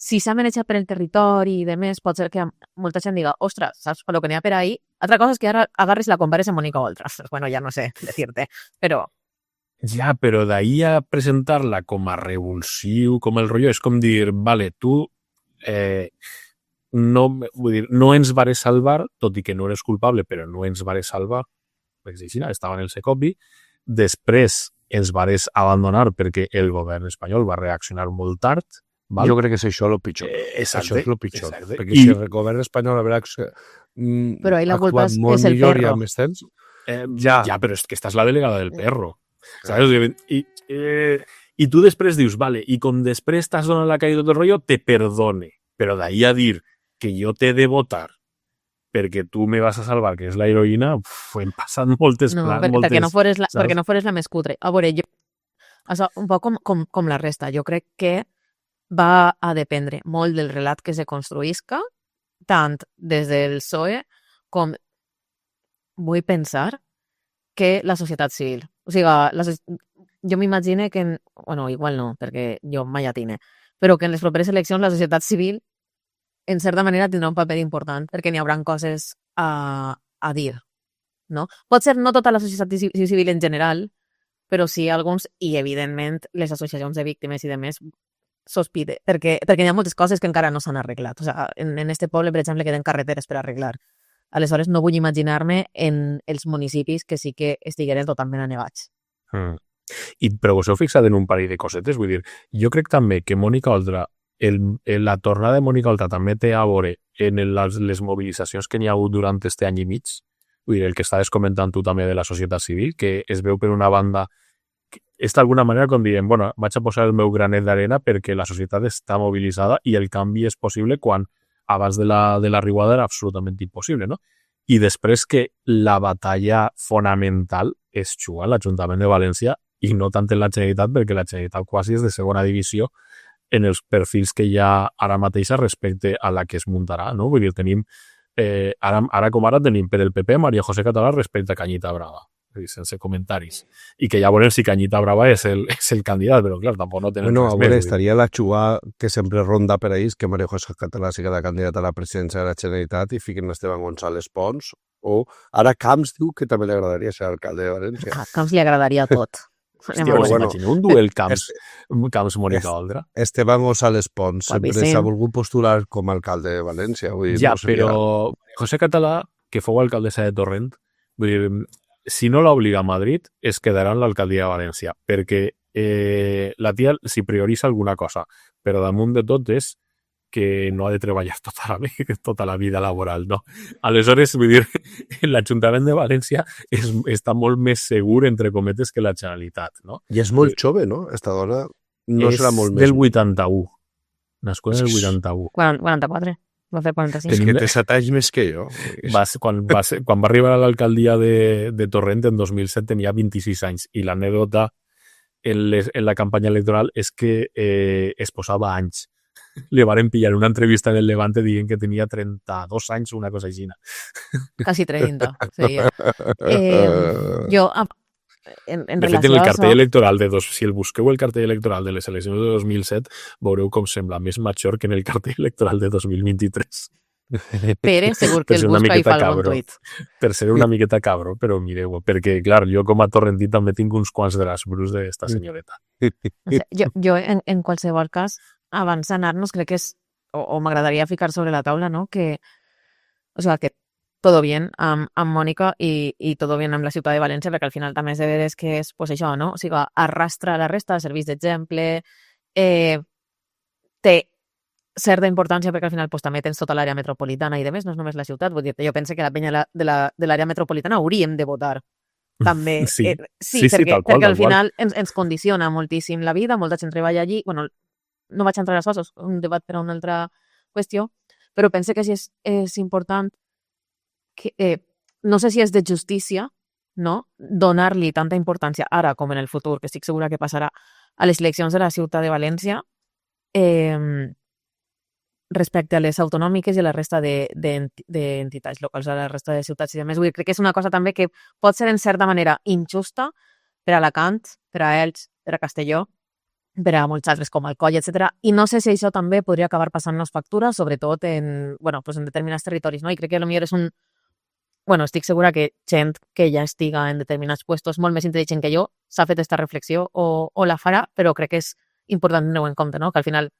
si s'ha manejat per el territori i demés, pot ser que molta gent diga, ostres, saps el que n'hi ha per ahí? Altra cosa és que ara agarres la compares amb Mònica Oltra. Bueno, ja no sé decirte, però... Ja, però d'ahir a presentar-la com a revulsiu, com el rotllo, és com dir, vale, tu no ens vares salvar, tot i que no eres culpable, però no ens vares salvar, perquè estava en el Secovi, després ens vares abandonar perquè el govern espanyol va reaccionar molt tard. Val? Jo crec que és això el pitjor. Exacte, això és el pitjor. Perquè si el govern espanyol haurà actuat molt millor i amb més temps... Ja, però és que estàs la delegada del perro. ¿Sabes? I tu després dius, vale, i com després t'has donat la caïda tot el rotllo, te perdone. Però d'ahir a dir que jo t'he de votar perquè tu me vas a salvar, que és la heroïna, hem passat moltes... perquè no fores la més cutre. A veure, un poc com la resta. Jo crec que va a dependre molt del relat que se construïsca, tant des del PSOE com vull pensar que la societat civil. O sigui, jo m'imagine que... Bueno, igual no, perquè jo mai atine, però que en les properes eleccions la societat civil en certa manera tindrà un paper important perquè n'hi haurà coses a dir, no? Pot ser no tota la societat civil en general, però sí alguns, i evidentment les associacions de víctimes i demés sospite, perquè hi ha moltes coses que encara no s'han arreglat. O sigui, en este poble, per exemple, queden carreteres per arreglar. Aleshores, no vull imaginar-me en els municipis que sí que estigueren totalment anegats. Però us heu fixat en un parell de cosetes? Vull dir, jo crec també que Mònica Oltra, la tornada de Mònica Oltra també té a veure en les mobilitzacions que n'hi ha hagut durant este any i mig. Vull dir, el que estaves comentant tu també de la societat civil, que es veu per una banda és d'alguna manera com dient, bueno, vaig a posar el meu granet d'arena perquè la societat està mobilitzada i el canvi és possible quan abans de la riuada era absolutament impossible, no? I després que la batalla fonamental es juga a l'Ajuntament de València i no tant en la Generalitat, perquè la Generalitat quasi és de segona divisió en els perfils que hi ha ara mateixa respecte a la que es muntarà, no? Vull dir, tenim, ara com ara tenim per el PP María José Català respecte a Cañita Brava, sense comentaris. I que ja veurem si Cañita Brava és el candidat, però clar, tampoc no tenen res més. Estaria la xugà que sempre ronda per ahí, que María José Català sigui la candidata a la presidència de la Generalitat i fiquen Esteban González Pons, o ara Camps diu que també li agradaria ser alcalde de València. A Camps li agradaria tot. Hòstia, imagineu un duel Camps-Mònica Oltra. Esteban González Pons sempre s'ha volgut postular com a alcalde de València. Vull dir, ja, no però José Català, que fou alcaldessa de Torrent, vull dir, si no l'obliga a Madrid, es quedarà en l'alcaldia de València, perquè la tia s'hi prioritza alguna cosa, però damunt de tot és que no ha de treballar tota la vida laboral, no? Aleshores, vull dir, l'Ajuntament de València està molt més segur, entre cometes, que la Generalitat, no? I és molt jove, no? Esta dona no serà molt més... És del 81. Nascuda en el 81. 44. Va fer 45. És que té 7 anys més que jo. Quan va arribar a l'alcaldia de Torrent en 2007 tenia 26 anys i l'anècdota en la campanya electoral és que es posava anys. Le varen pillar una entrevista en el Levante dient que tenia 32 anys o una cosa així. Quasi 30. Sí. Jo, en de fet, en el cartell electoral si el busqueu el cartell electoral de les eleccions de 2007, veureu com sembla més major que en el cartell electoral de 2023. Pere, segur que el busca i fa algun tuit. Per ser una miqueta cabro, però mireu, perquè, clar, jo com a torrentí també tinc uns quants drasbrus d'esta senyoreta. Jo, en qualsevol cas, abans d'anar-nos, crec que és, o m'agradaria ficar sobre la taula, no?, que todo bien amb Mònica i todo bien amb la ciutat de València, perquè al final també és de veres que és, pues això, no? O sigui, arrastra la resta, serveix d'exemple, té certa importància perquè al final pues, també tens tota l'àrea metropolitana i demés, no és només la ciutat, vull dir, jo penso que la penya de l'àrea metropolitana hauríem de votar també. Sí, perquè al final ens condiciona moltíssim la vida, molta gent treballa allí, bueno, no vaig entrar a les coses, un debat per a una altra qüestió, però penso que sí és important que, no sé si és de justícia, no?, donar-li tanta importància ara com en el futur, que estic segura que passarà a les eleccions de la ciutat de València, respecte a les autonòmiques i a la resta d'entitats locals, a la resta de ciutats i demés. Crec que és una cosa també que pot ser en certa manera injusta per a Alacant, per a Elx, per a Castelló, per a molts altres com Alcoi, etc. I no sé si això també podria acabar passant-nos factura, sobretot en determinats territoris, no? I crec que potser és un... Bueno, estic segura que gent que ja estiga en determinats puestos molt més intel·ligent que jo s'ha fet aquesta reflexió o la farà, però crec que és important tenir-ho en compte, no? Que al final,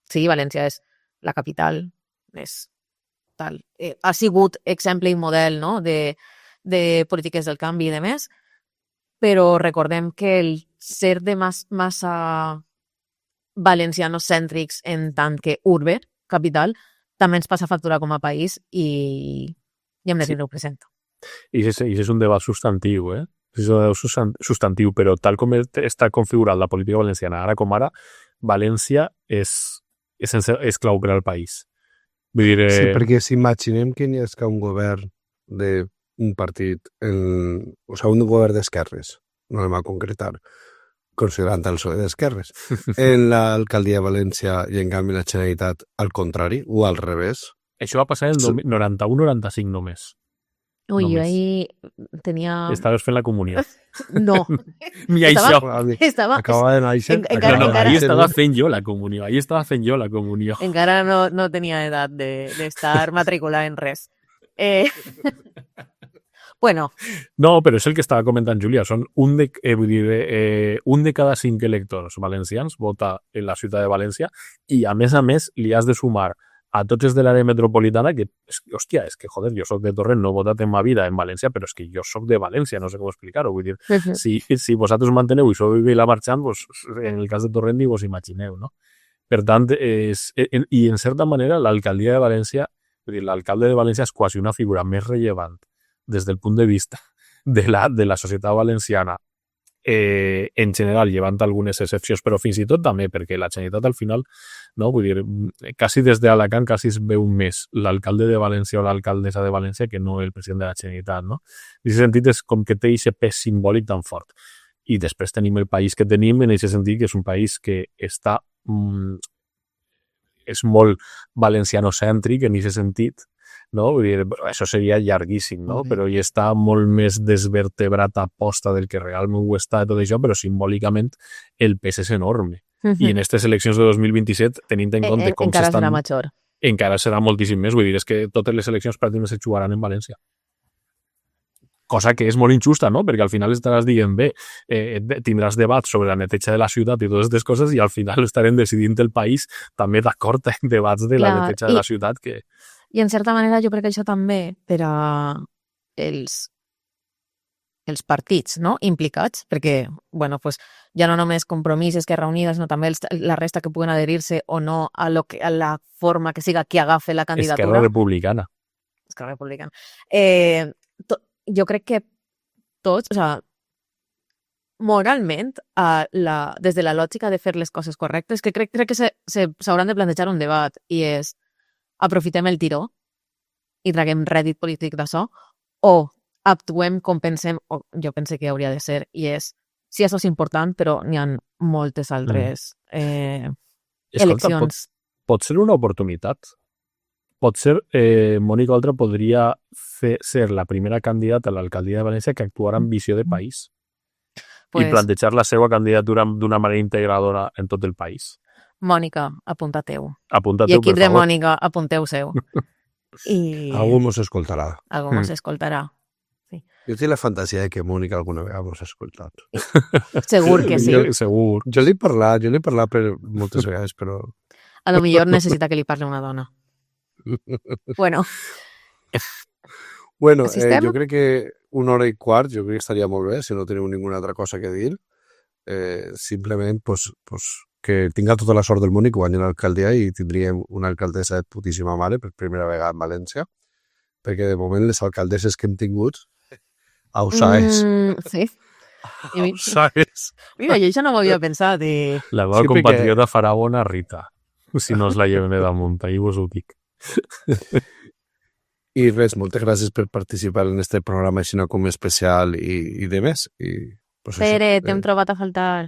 sí, València és la capital, és tal. Ha sigut exemple i model, no?, de polítiques del canvi i demés, però recordem que el ser de massa valencianos cèntrics en tant que urbe, capital, també ens passa factura com a país i hem de tenir-ho present. I és un debat substantiu, És un debat substantiu, però tal com està configurat la política valenciana, ara com ara, València és clau per al país. Vull dir, sí, perquè s'imaginem que n'hi ha un govern d'un partit, un govern d'esquerres, no anem a concretar, considerant el PSOE d'esquerres, en l'alcaldia de València i en canvi la Generalitat al contrari, o al revés. Això va passar en el 91-95 només. Ui, jo ahir tenia... Estaves fent la comunió. No. Ni això. Acaba de néixer. Ahí estava fent jo la comunió. Encara no tenia edat d'estar matriculada en res. Bueno. No, però és el que estava comentant Júlia. Són un de cada 5 electors valencians vota en la ciutat de València i, a més, li has de sumar a tots de l'àrea metropolitana que, hòstia, és que, joder, jo soc de Torrent, no he votat en ma vida en València, però és que jo soc de València, no sé com explicar-ho. Vull dir, si vosaltres manteneu i sou Vila Marchant, pues, en el cas de Torrent ni vos imagineu, no? Per tant, i en certa manera l'alcaldia de València, vull dir, l'alcalde de València és quasi una figura més rellevant des del punt de vista de la societat valenciana en general, llevant algunes excepcions, però fins i tot també, perquè la Generalitat al final, no, vull dir, quasi des d'Alacant quasi es veu més l'alcalde de València o l'alcaldessa de València que no el president de la Generalitat, no? En aquest sentit és com que té aquest pes simbòlic tan fort. I després tenim el país que tenim, en aquest sentit que és un país que està és molt valencianocèntric en aquest sentit, no? Vull dir, això seria llarguíssim, no? Però hi està molt més desvertebrat a posta del que realment ho està tot això, però simbòlicament el pes és enorme. I en aquestes eleccions de 2027, tenint en compte com encara s'estan... serà major. Encara serà moltíssim més. Vull dir, és que totes les eleccions pràcticament se jugaran en València. Cosa que és molt injusta, no? Perquè al final estaràs dient, bé, tindràs debats sobre la neteja de la ciutat i totes aquestes coses i al final estarem decidint el país també d'acord en debats de la neteja de la ciutat que... I en certa manera jo crec que això també per a els partits, no?, implicats, perquè, bueno, pues, ja no només Compromís, Esquerra Unida, sinó també la resta que puguen adherir-se o no a la forma que siga qui agafe la candidatura. Esquerra Republicana. Esquerra Republicana. Jo crec que tots, o sea, moralment, des de la lògica de fer les coses correctes, que crec que s'hauran de plantejar un debat, i és aprofitem el tiró i traguem rèdit polític d'això, o actuem com pensem, o jo pense que hauria de ser, i és, sí, això és important, però n'hi ha moltes altres eleccions. Pot ser una oportunitat. Pot ser, Mònica Oltra podria ser la primera candidata a l'alcaldia de València que actuarà amb visió de país i plantejar la seva candidatura d'una manera integradora en tot el país. Mònica, apunta-teu. Apunta-teu, i equip de Mònica, apunteu-seu. Algú mos escoltarà. Algú mos escoltarà. Sí. Jo tinc la fantasia de que Mònica alguna vegada mos ha escoltat. Segur que sí. Segur. Jo l'he parlat per moltes vegades, però... A lo millor necessita que li parli una dona. Bueno, jo crec que 1 hora i quart, jo crec que estaria molt bé, si no teniu ninguna altra cosa que dir. Simplement, pues, que tinga tota la sort del món i que guanyi l'alcaldia i tindríem una alcaldessa de putíssima mare per primera vegada en València, perquè de moment les alcaldesses que hem tingut aussaes. Sí. Aussaes. Mira, jo això no m'ho havia pensat. La meva compatriota farà bona Rita, si no es la lleven damunt, ahir vos ho dic. I res, moltes gràcies per participar en este programa així com especial i de més. Pere, t'hem trobat a faltar.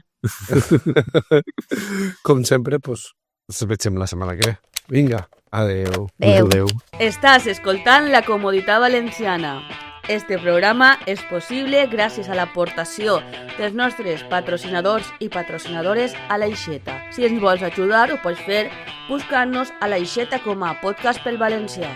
Com sempre, ens veiem la setmana que ve. Vinga, adeu. Adeu. Estàs escoltant La Comoditat Valenciana. Este programa és possible gràcies a l'aportació dels nostres patrocinadors i patrocinadores a l'Aixeta. Si ens vols ajudar, ho pots fer buscant-nos a l'Aixeta com a podcast pel valencià.